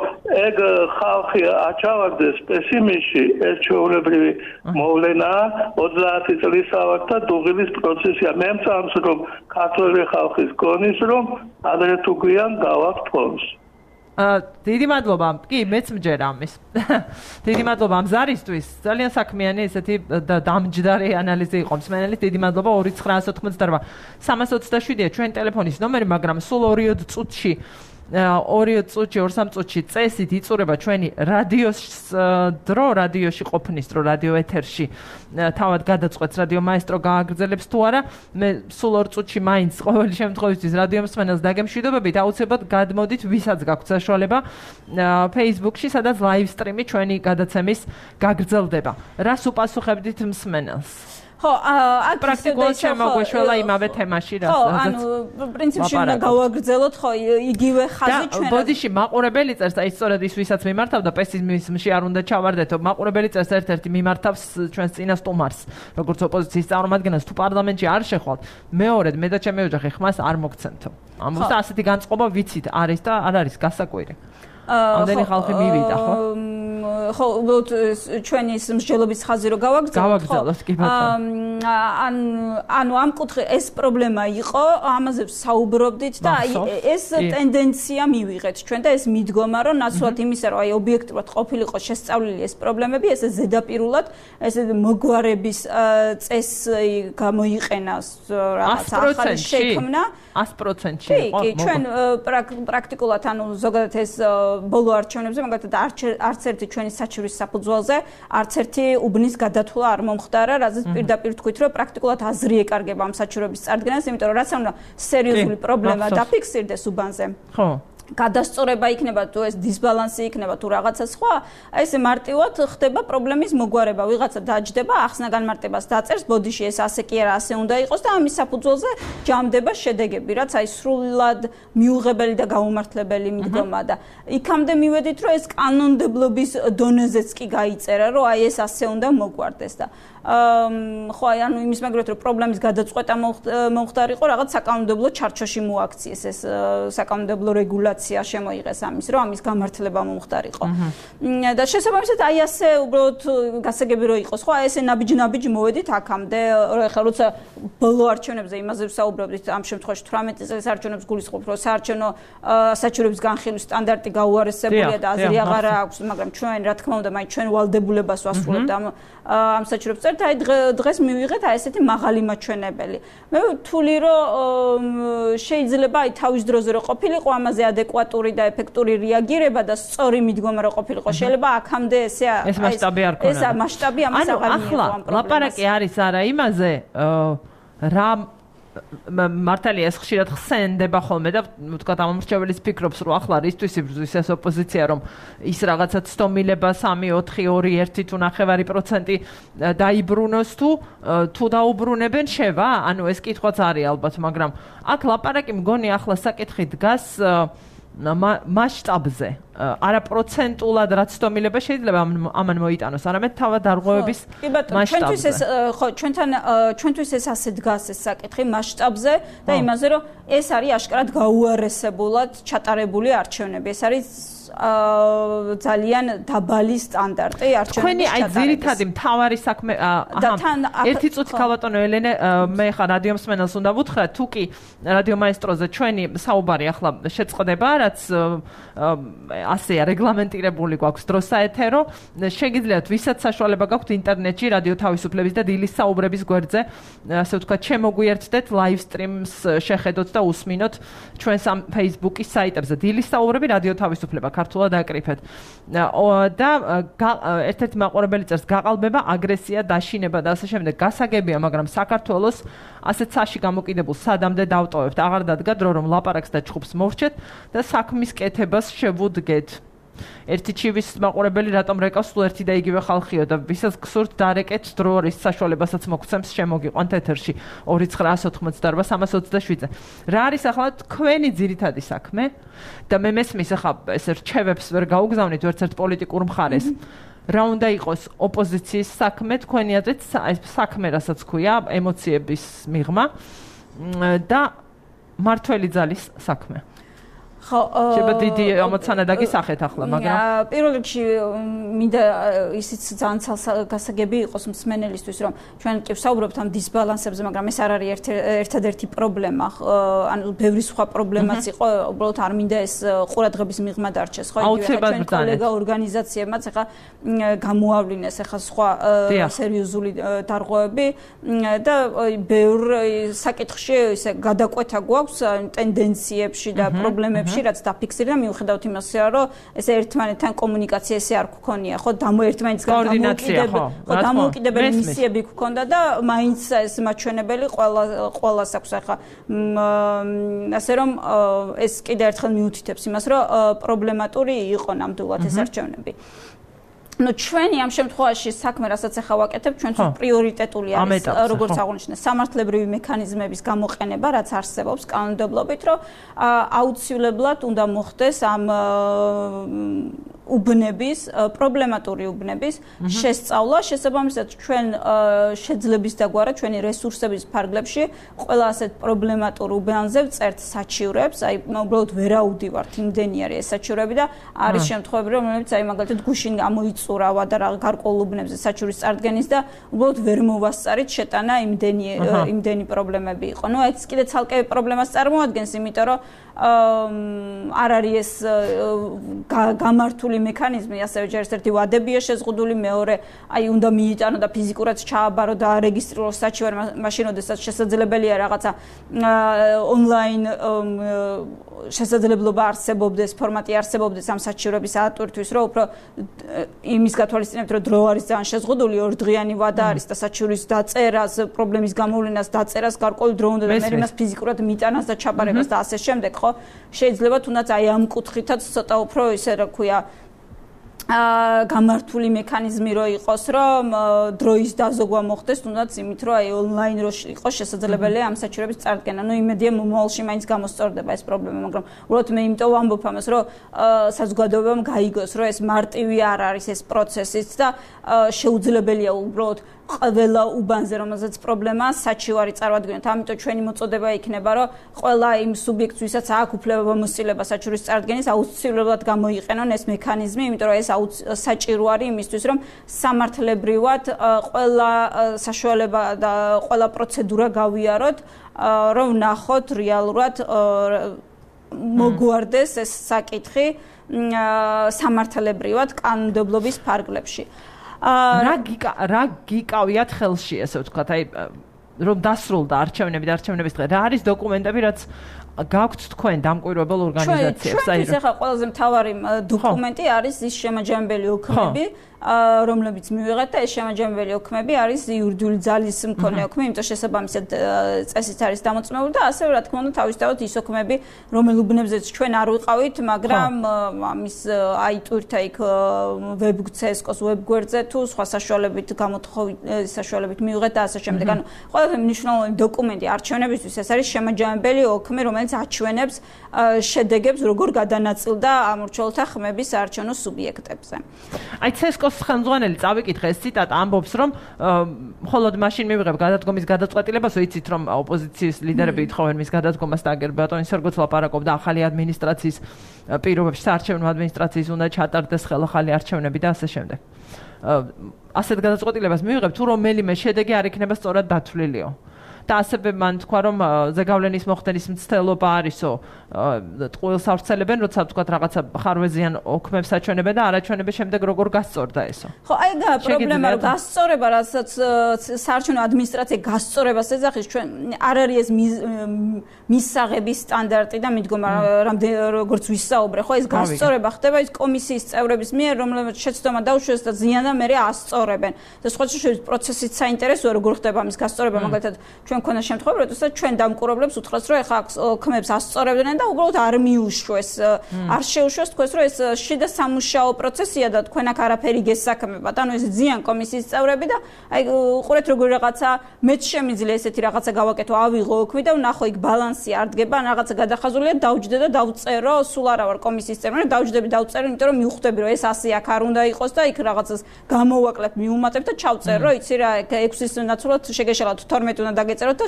ეგ ხალხი აჩავარდეს პესიმიზმში, ეს ჩვეულებრივი მოვლენა 30 წლის ავართ და დუღილის პროცესია. მე მწამს, რომ ქართული ხალხის გონის, რომ ადრე თუ გვიან გავაქვს ფონს. დიდი მადლობა. კი, მეც მჯერ ამის. დიდი მადლობა ამ ზარისთვის. ძალიან საქმიანი ესეთი დამჯდარი ანალიზი იყო მსმენელის. დიდი მადლობა 2988 327-ია ჩვენ ტელეფონის ნომერი, მაგრამ სულ 2 წუთში 2 წუთში 2-3 წუთში წესით იწურება ჩვენი რადიოს დრო, რადიოში ყოფნის დრო, რადიო ეთერში თავად გადაწყვეტს რადიო მაესტრო გააგრძელებს თუ არა. მე სულ 2 წუთში მაინც ყოველი შემთხვევისთვის რადიო მსმენელს დაგემშვიდობებით, აუცილებლად გადმოდით, ვისაც გაქვთ საშუალება Facebook-ში, სადაც live stream-ი ჩვენი გადაცემის გაგრძელდება. რას უპასუხებდით მსმენელს? ხო, აქ პრაქტიკულად შემოგვეშველა იმავე თემაში, რასაც ხო, ანუ პრინციპში უნდა გავაგრძელოთ, ხო, იგივე ხაზი ჩვენ. ბოდიში მაყურებელი წერს, აი სწორედ ის ვისაც მიმართავ და პესიმიზმში არ უნდა ჩავარდეთო. მაყურებელი წერს ერთ-ერთი მიმართავს ჩვენს წინა სტუმარს, როგორც ოპოზიციის წარმომადგენელს, თუ პარლამენტში არ შეხვალთ, მეორედ მე და ჩემი ოჯახი ხმას არ მოგცემთო. ამას ასეთი განწყობა ვიცით არის და არ არის გასაკვირი. ამდენი ხალხი მივიდა, ხო? ხო, უბრალოდ ჩვენი ის მსჯელობის ხაზი რო გავაგრძელოთ, კი ბატონო. ანუ ამ კუთხე ეს პრობლემა იყო, ამაზე საუბრობდით და ეს ტენდენცია მივიღეთ ჩვენ და ეს მიდგომა, რომ ნაცვლად იმისა, რომ აი ობიექტურად ყოფილიყო შესწავლილი ეს პრობლემები, ესე ზედაპირულად, ესე მოგვარების წესი გამოიყენა რაღაც ახალი შექმნა 100%-ში იყო. კი, ჩვენ პრაქტიკულად ანუ ზოგადად ეს ბოლო არჩევნებზე, მაგალითად არც ერთი ჩვენი საჩივრის საფუძველზე არც ერთი უბნის გადათვლა არ მომხდარა, რაზეც პირდაპირ თქვით, რომ პრაქტიკულად აზრი ეკარგება ამ საჩივრების წარდგენას, იმიტომ რომ რაც უნდა სერიოზული პრობლემა დაფიქსირდეს უბანზე. ხო. გადასწორება იქნება თუ ეს დისბალანსი იქნება თუ რაღაცა სხვა, აი ესე მარტივად ხდება პრობლემის მოგვარება. ვიღაცა დაჯდება, ახსნა განმარტებას დაწერს, ბოდიში ეს ასე კი არა, ასე უნდა იყოს და ამის საფუძველზე ჯამდება შედეგები, რაც აი სრულად მიუღებელი და გაუმართლებელი მიდგომა და იქამდე მივედით, რომ ეს კანონმდებლობის დონეზეც კი გაიწერა, რომ აი ეს ასე უნდა მოგვარდეს და ხო აი ანუ იმის მაგალითად რომ პრობლემის გადაწყვეტა მომხდარიყო რაღაც საკანონმდებლო ჩარჩოში მოაქციეს ეს საკანონმდებლო რეგულაცია შემოიღეს ამის რომ ამის გამართლება მომხდარიყო და შესაბამისად აი ასე უბრალოდ გასაგები რო იყოს ხო აი ესე ნაბიჯ მოვედით აქამდე ხა როცა ბოლო არჩევნებზე იმაზე ვსაუბრობდით ამ შემთხვევაში 18 წელს არჩევნებს გულისხმობ რომ საარჩევნო საჩივრების განხილვის სტანდარტი გაუარესებულია და აზრი აღარ აქვს მაგრამ ჩვენ რა თქმა უნდა მაინც ჩვენ ვალდებულებას ვასრულებთ ამ საჩივრებს და აი დღეს მივიღეთ აი ესეთი მაღალი მაჩვენებელი. მე ვთვლი რომ შეიძლება აი თავის დროზე რო ყოფილიყო ამაზე ადეკვატური და ეფექტური რეაგირება და სწორი მიდგომა რო ყოფილიყო. შეიძლება აქამდე ეს მასშტაბი არ ქონა. ეს მასშტაბი ამას აღარ მიიღო ამ პრობლემას. ლაპარაკი არის არა იმაზე რა მართალია ეს ხშირად ხსენდება ხოლმე და ვთქვათ ამომრჩეველიც ფიქრობს რომ ახლა რისთვის იბრძვის ეს ოპოზიცია რომ ის რაღაცა ცდომილება 3-4-2-1 თუ 9% დაიბრუნოს თუ დაუბრუნებენ შევა ანუ ეს კითხვაც არის ალბათ მაგრამ აქ ლაპარაკი მგონი ახლა საკითხი დგას მასშტაბზე არა პროცენტულად რაც ცდომილება შეიძლება ამან მოიტანოს არამედ თავად დარღვევების მასშტაბზე ჩვენთვის ეს ხო ჩვენთვის ეს ასე დგას ეს საკითხი მასშტაბზე და იმაზე რომ ეს არის აშკარად გაუარესებულად ჩატარებული არჩევნები ეს არის ძალიან დაბალი სტანდარტი არჩევნების ჩვენი აი ძირითადი მთავარი საქმე ერთი წუთი ქალბატონო ელენე მე ხარ რადიო მსმენელს უნდა ვუთხრა თუ კი რადიო მაესტროზე ჩვენი საუბარი ახლა შეწყდება რაც ასეა რეგლამენტირებული გვაქვს დრო საეთერო შეგიძლიათ ვისაც საშუალება გაქვთ ინტერნეტში რადიო თავისუფლების და დილის საუბრების გვერდზე ასე ვთქვათ შემოგვიერთდეთ live streams შეხედოთ და უსმინოთ ჩვენს ამ Facebook-ის საიტებზე დილის საუბრები რადიო თავისუფლება ქართულად აკრიფეთ და ერთ-ერთი მაყურებელი წერს გაყალბება აგრესია დაშინება და ასე შემდეგ გასაგებია მაგრამ საქართველოს ასეთ საში გამოკიდებულ სადამდე დავტოვებთ აღარ დადგა დრო რომ ლაპარაკს და ჩხუბს მოვრჩეთ და საქმის კეთებას შევუდგეთ ერთი ჩივის მაყურებელი რატომ რეკავს სულ ერთი და იგივე ხალხიო და ვისაც გსურთ დარეკეთ დრო არის საშუალებასაც მოგცემს შემოგიყვანთ ეთერში 2988327-ზე რა არის ახლა თქვენი ძირითადი საქმე და მე მესმის ახლა ეს რჩევებს ვერ გაუგზავნით ერთ-ერთ პოლიტიკურ მხარეს რა უნდა იყოს ოპოზიციის საქმე თქვენი აზრით საქმე რასაც ქვია ემოციების მიღმა და მართველი ძალის საქმე ხო შეიძლება დიდი ამოცანა დაგისახეთ ახლა მაგრამ პირველ რიგში მინდა ისიც ძალიან გასაგები იყოს მსმენელისთვის რომ ჩვენ კი ვსაუბრობთ ამ დისბალანსებზე მაგრამ ეს არ არის ერთადერთი პრობლემა ანუ ბევრი სხვა პრობლემაც იყო უბრალოდ არ მინდა ეს ყურადღების მიღმა დარჩეს ხო იგივე ჩვენ კოლეგა ორგანიზაციებმაც ახლა გამოავლინეს ახლა სხვა სერიოზული დარღვევები და ბევრ საკითხში ისე გადაკვეთა გვაქვს ტენდენციებში და პრობლემებში ხშირად დაფიქსირდა მიუხედავად იმისა, რომ ეს ერთმანეთთან კომუნიკაცია ესე არ გქონია, ხო, ერთმანეთისგან დამოუკიდებელი მისიები გქონდა და მაინც ეს მაჩვენებელი ყველას აქვს ახლა ასე რომ ეს კიდევ ერთხელ მიუთითებს იმას, რომ პრობლემატური იყო ნამდვილად ეს არჩევნები. ჩვენი ამ შემთხვევაში საქმე, რასაც ახლა ვაკეთებ, ჩვენთვის პრიორიტეტული არის, როგორც აღნიშნე, სამართლებრივი მექანიზმების გამოყენება, რაც არსებობს კანონმდებლობით, რომ აუცილებლად უნდა მოხდეს ამ უბნების, პრობლემატური უბნების შესწავლა, შესაბამისად ჩვენ შეძლების დაგვარა ჩვენი რესურსების ფარგლებში ყველა ასეთ პრობლემატურ უბანზე ვწერთ საჩივრებს, აი უბრალოდ ვერაუდივართ, იმდენი არის ეს საჩივრები და არის შემთხვევები, რომლებიც აი მაგალითად გუშინ გამოიწურავა და გარკვეულ უბნებზე საჩივრის წარდგენის და უბრალოდ ვერ მოვასწარით შეტანა იმდენი პრობლემები იყო. ნუ ეს კიდე ცალკე პრობლემას წარმოადგენს, იმიტომ რომ არ არის ეს გამართული მექანიზმი, ასევე ჯერ ერთი ვადებია შეზღუდული, მეორე აი უნდა მიიტანო და ფიზიკურად ჩააბარო და არეგისტრიროს საჩივარი, მაშინ როდესაც შესაძლებელია რაღაცა ონლაინ შესაძლებლობა არსებობდეს, ფორმატი არსებობდეს ამ საჩივრების ატვირთვის, რომ უფრო იმის გათვალისწინებთ, რომ დრო არის ძალიან შეზღუდული, ორდღიანი ვადა არის და საჩივრის დაწერას, პრობლემის გამოვლენას, დაწერას გარკვეული დრო უნდა და მე იმას ფიზიკურად მიიტანას და ჩაბარებას და ასე შემდეგ, ხო? შეიძლება თუნდაც აი ამ კუთხითაც ცოტა უფრო ისე რა ქვია გამართული მექანიზმი რო იყოს, რომ დროის დაზოგვა მოხდეს, თუნდაც იმით, რომ აი ონლაინ რო იყოს შესაძლებელია ამ საჩივრების წარდგენა. ნუ იმედია მომავალში მაინც გამოსწორდება ეს პრობლემა, მაგრამ უბრალოდ მე იმიტომ ვამბობ ამას, რომ საზოგადოებამ გაიგოს, რომ ეს მარტივი არ არის ეს პროცესიც და შეუძლებელია უბრალოდ ყველა უბანზე, რომელზეც პრობლემაა, საჩივარი წარმოადგენთ. ამიტომ ჩვენი მოწოდება იქნება, რომ ყველა იმ სუბიექტს, ვისაც აქვს უფლება მოსწილება საჩივრის წარდგენის, აუცილებლად გამოიყენონ ეს მექანიზმი, იმიტომ რომ ეს საჭირო არის იმისთვის, რომ სამართლებრივად ყველა საშუალება და ყველა პროცედურა გავიაროთ, რომ ვნახოთ რეალურად მოგვარდეს ეს საკითხი სამართლებრივად კანონმდებლობის ფარგლებში. რა გიკავიათ ხელში, ესე ვთქვათ, აი რომ დასრულდა არჩევნები და არჩევნების დღე, რა არის დოკუმენტები, რაც გაქვთ თქვენ დამკვირვებელ ორგანიზაციებს? აი ეს ახლა ყველაზე მთავარი დოკუმენტი არის ის შემაჯამებელი ოქმები, რომლებიც მივიღეთ და ეს შემაჯამებელი ოქმები არის იურიდიული ძალის მქონე ოქმი, იმიტომ შესაბამისად წესით არის დამოწმებული და ასევე რა თქმა უნდა თავისთავად ის ოქმები, რომელ უბნებზეც ჩვენ არ ვიყავით, მაგრამ ამის აიტვირთა იქ ვებცესკოს ვებგვერდზე თუ სხვა საშუალებით გამოთხოვით საშუალებით მივიღეთ და ასე შემდეგ. ანუ ყველაზე მნიშვნელოვანი დოკუმენტი არჩევნებისთვის ეს არის შემაჯამებელი ოქმი, რომელიც აჩვენებს შედეგებს, როგორ გადანაწილდა ამორჩეულთა ხმების საარჩევნო სუბიექტებზე. აი ცესკოს ხელმძღვანელი წავიკითხე ეს ციტატა ამბობს, რომ მხოლოდ მაშინ მივიღებ გადადგომის გადაწყვეტილებას, ვიცით რომ ოპოზიციის ლიდერები ითხოვენ მის გადადგომას და აგერ ბატონის როგორც ლაპარაკობდა ახალი ადმინისტრაციის პირობებში, საარჩევნო ადმინისტრაციის უნდა ჩატარდეს ხელახალი არჩევნები და ასე შემდეგ. ასეთ გადაწყვეტილებას მივიღებ თუ რომელიმე შედეგი არ იქნება სწორად დათვლილიო. და ასევე მან თქვა, რომ ზეგავლენის მოხდენის მცდელობა არისო, ტყუილს ავრცელებენ, როცა ვთქვათ რაღაცა ხარვეზიან ოქმებს აჩვენებენ და არაჩვენების შემდეგ როგორ გასწორდა ესო. ხო, აი და პრობლემა რომ გასწორება, რასაც საარჩევნო ადმინისტრაცია გასწორებას ეძახის, ჩვენ არ არის ეს მისაღების სტანდარტი და მიდგომა როგორც ვისაუბრე, ხო ეს გასწორება ხდება ის კომისიის წევრების მიერ, რომლებიც შეცდომა დაუშვეს და ზიანდა მერე ასწორებენ. და სხვა შეშორის პროცესიც საინტერესოა, როგორ ხდება ამის გასწორება, მაგალითად ჩვენ ქონა შემთხვევა, როდესაც ჩვენ დამკვირვებლებს უთხრას, რომ ეხლა ოქმებს ასწორებდნენ და უბრალოდ არ მიუშვეს, არ შეუშვეს თქვენს, რომ ეს შიდა სამუშაო პროცესია და თქვენ აქ არაფერი გესაქმებათ. ანუ ეს ზიან კომისიის წევრები და აი უყურეთ როგორ რაღაცა მეც შემიძლია ესეთი რაღაცა გავაკეთო, ავიღო ოქმი და ვნახო იქ ბალანსი არ დგება, ან რაღაცა გადახაზულია, დავჯდე და დავწერო, სულ არა ვარ კომისიის წევრი, დავჯდები დავწერო, იმიტომ რომ მივხვდები, რომ ეს ასე აქ არ უნდა იყოს და იქ რაღაცას გამოვაკლებ, მიუმატებ და ჩავწერ, რომ იცი რა 6-ის ნაცვლად შეგეშალათ 12 უნდა დაგეწეროთ და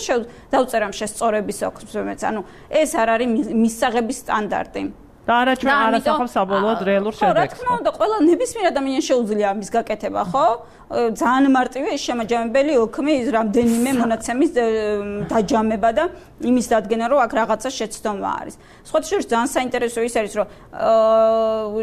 დავწერამ შესწორების ოქმებს. ანუ ეს არ არის მისაღების სტანდარტი. და არა ჩვენ არ ასახავს საბოლოოდ რეალურ შედეგს. რა თქმა უნდა, ყველა ნებისმიერ ადამიანს შეუძლია ამის გაკეთება, ხო? ძალიან მარტივია ის შემაჯამებელი ოქმი ის რამდენიმე მონაცემის დაჯამება და იმის დადგენა რომ აქ რაღაცა შეცდომა არის. სხვათა შორის ძალიან საინტერესო ის არის რომ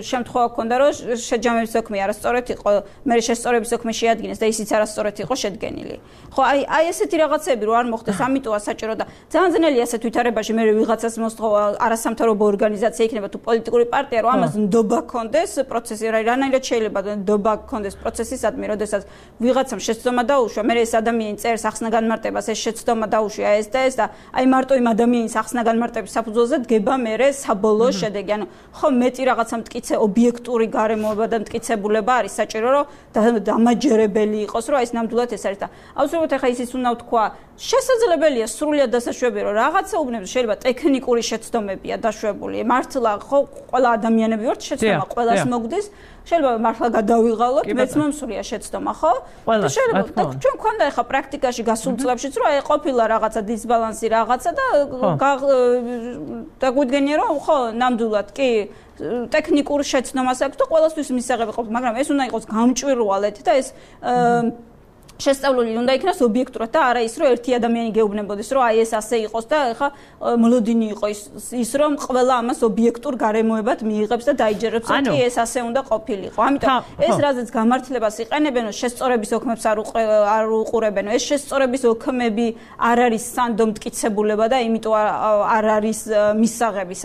შემთხვევა გქონდა რომ შეჯამების ოქმი არასწორად იყო, მე შესწორების ოქმი შეადგინეს და ისიც არასწორად იყო შედგენილი. ხო, აი ესეთი რაღაცები რო არ მოხდეს, ამიტომა საჭირო და ძალიან ძნელია ასეთ ვითარებაში მე ვიღაცას მოსთხოვა არასამთავრობო ორგანიზაცია იქნება თუ პოლიტიკური პარტია რომ ამას ნდობა გქონდეს პროცესი რანაირად შეიძლება ნდობა გქონდეს პროცესისადმი როდესაც ვიღაცამ შეცდომა დაუშვა, მე ეს ადამიანი წერს ახსნა განმარტებას, ეს შეცდომა დაუშვა ეს და ეს და აი მარტო იმ ადამიანის ახსნა განმარტების საფუძველზე დგება მე საბოლოო შედეგი. ანუ ხო მეტი რაღაცა მტკიცე ობიექტური გარემოება და მტკიცებულება არის საჭირო რომ დამაჯერებელი იყოს, რომ აი ეს ნამდვილად ეს არის და აუცილებლად ახლა ისიც უნდა ვთქვა, შესაძლებელია სრულიად დასაშვებია რომ რაღაცა უბნებს შეიძლება ტექნიკური შეცდომებია დაშვებული. მართლა ხო ყველა ადამიანები ვართ შეცდომა ყველას მოგდის. შეიძლება მართლა გადავიღალოთ, მეც მომსულია შეცდომა, ხო? და შეიძლება ჩვენ გვქონდა ახლა პრაქტიკაში გასულ წლებშიც რომ აი ყოფილა რაღაცა დისბალანსი რაღაცა და დაგვიდგენია რომ ხო, ნამდვილად კი ტექნიკურ შეცდომას აქვს და ყველასთვის მისაღები ყოფს, მაგრამ ეს უნდა იყოს გამჭვირვალედ და ეს შესწავლილი უნდა იქნას ობიექტურად და არა ის რომ ერთი ადამიანი გეუბნებოდეს რომ აი ეს ასე იყოს და ეხა მოლოდინი იყო ის რომ ყველა ამას ობიექტურ გარემოებად მიიღებს და დაიჯერებს რომ კი ეს ასე უნდა ყოფილიყო. ამიტომ ეს რაზეც გამართლებას იყენებენ შესწორების ოქმებს არ უყურებენ. ეს შესწორების ოქმები არ არის სანდო მტკიცებულება და იმიტომ არ არის მისაღები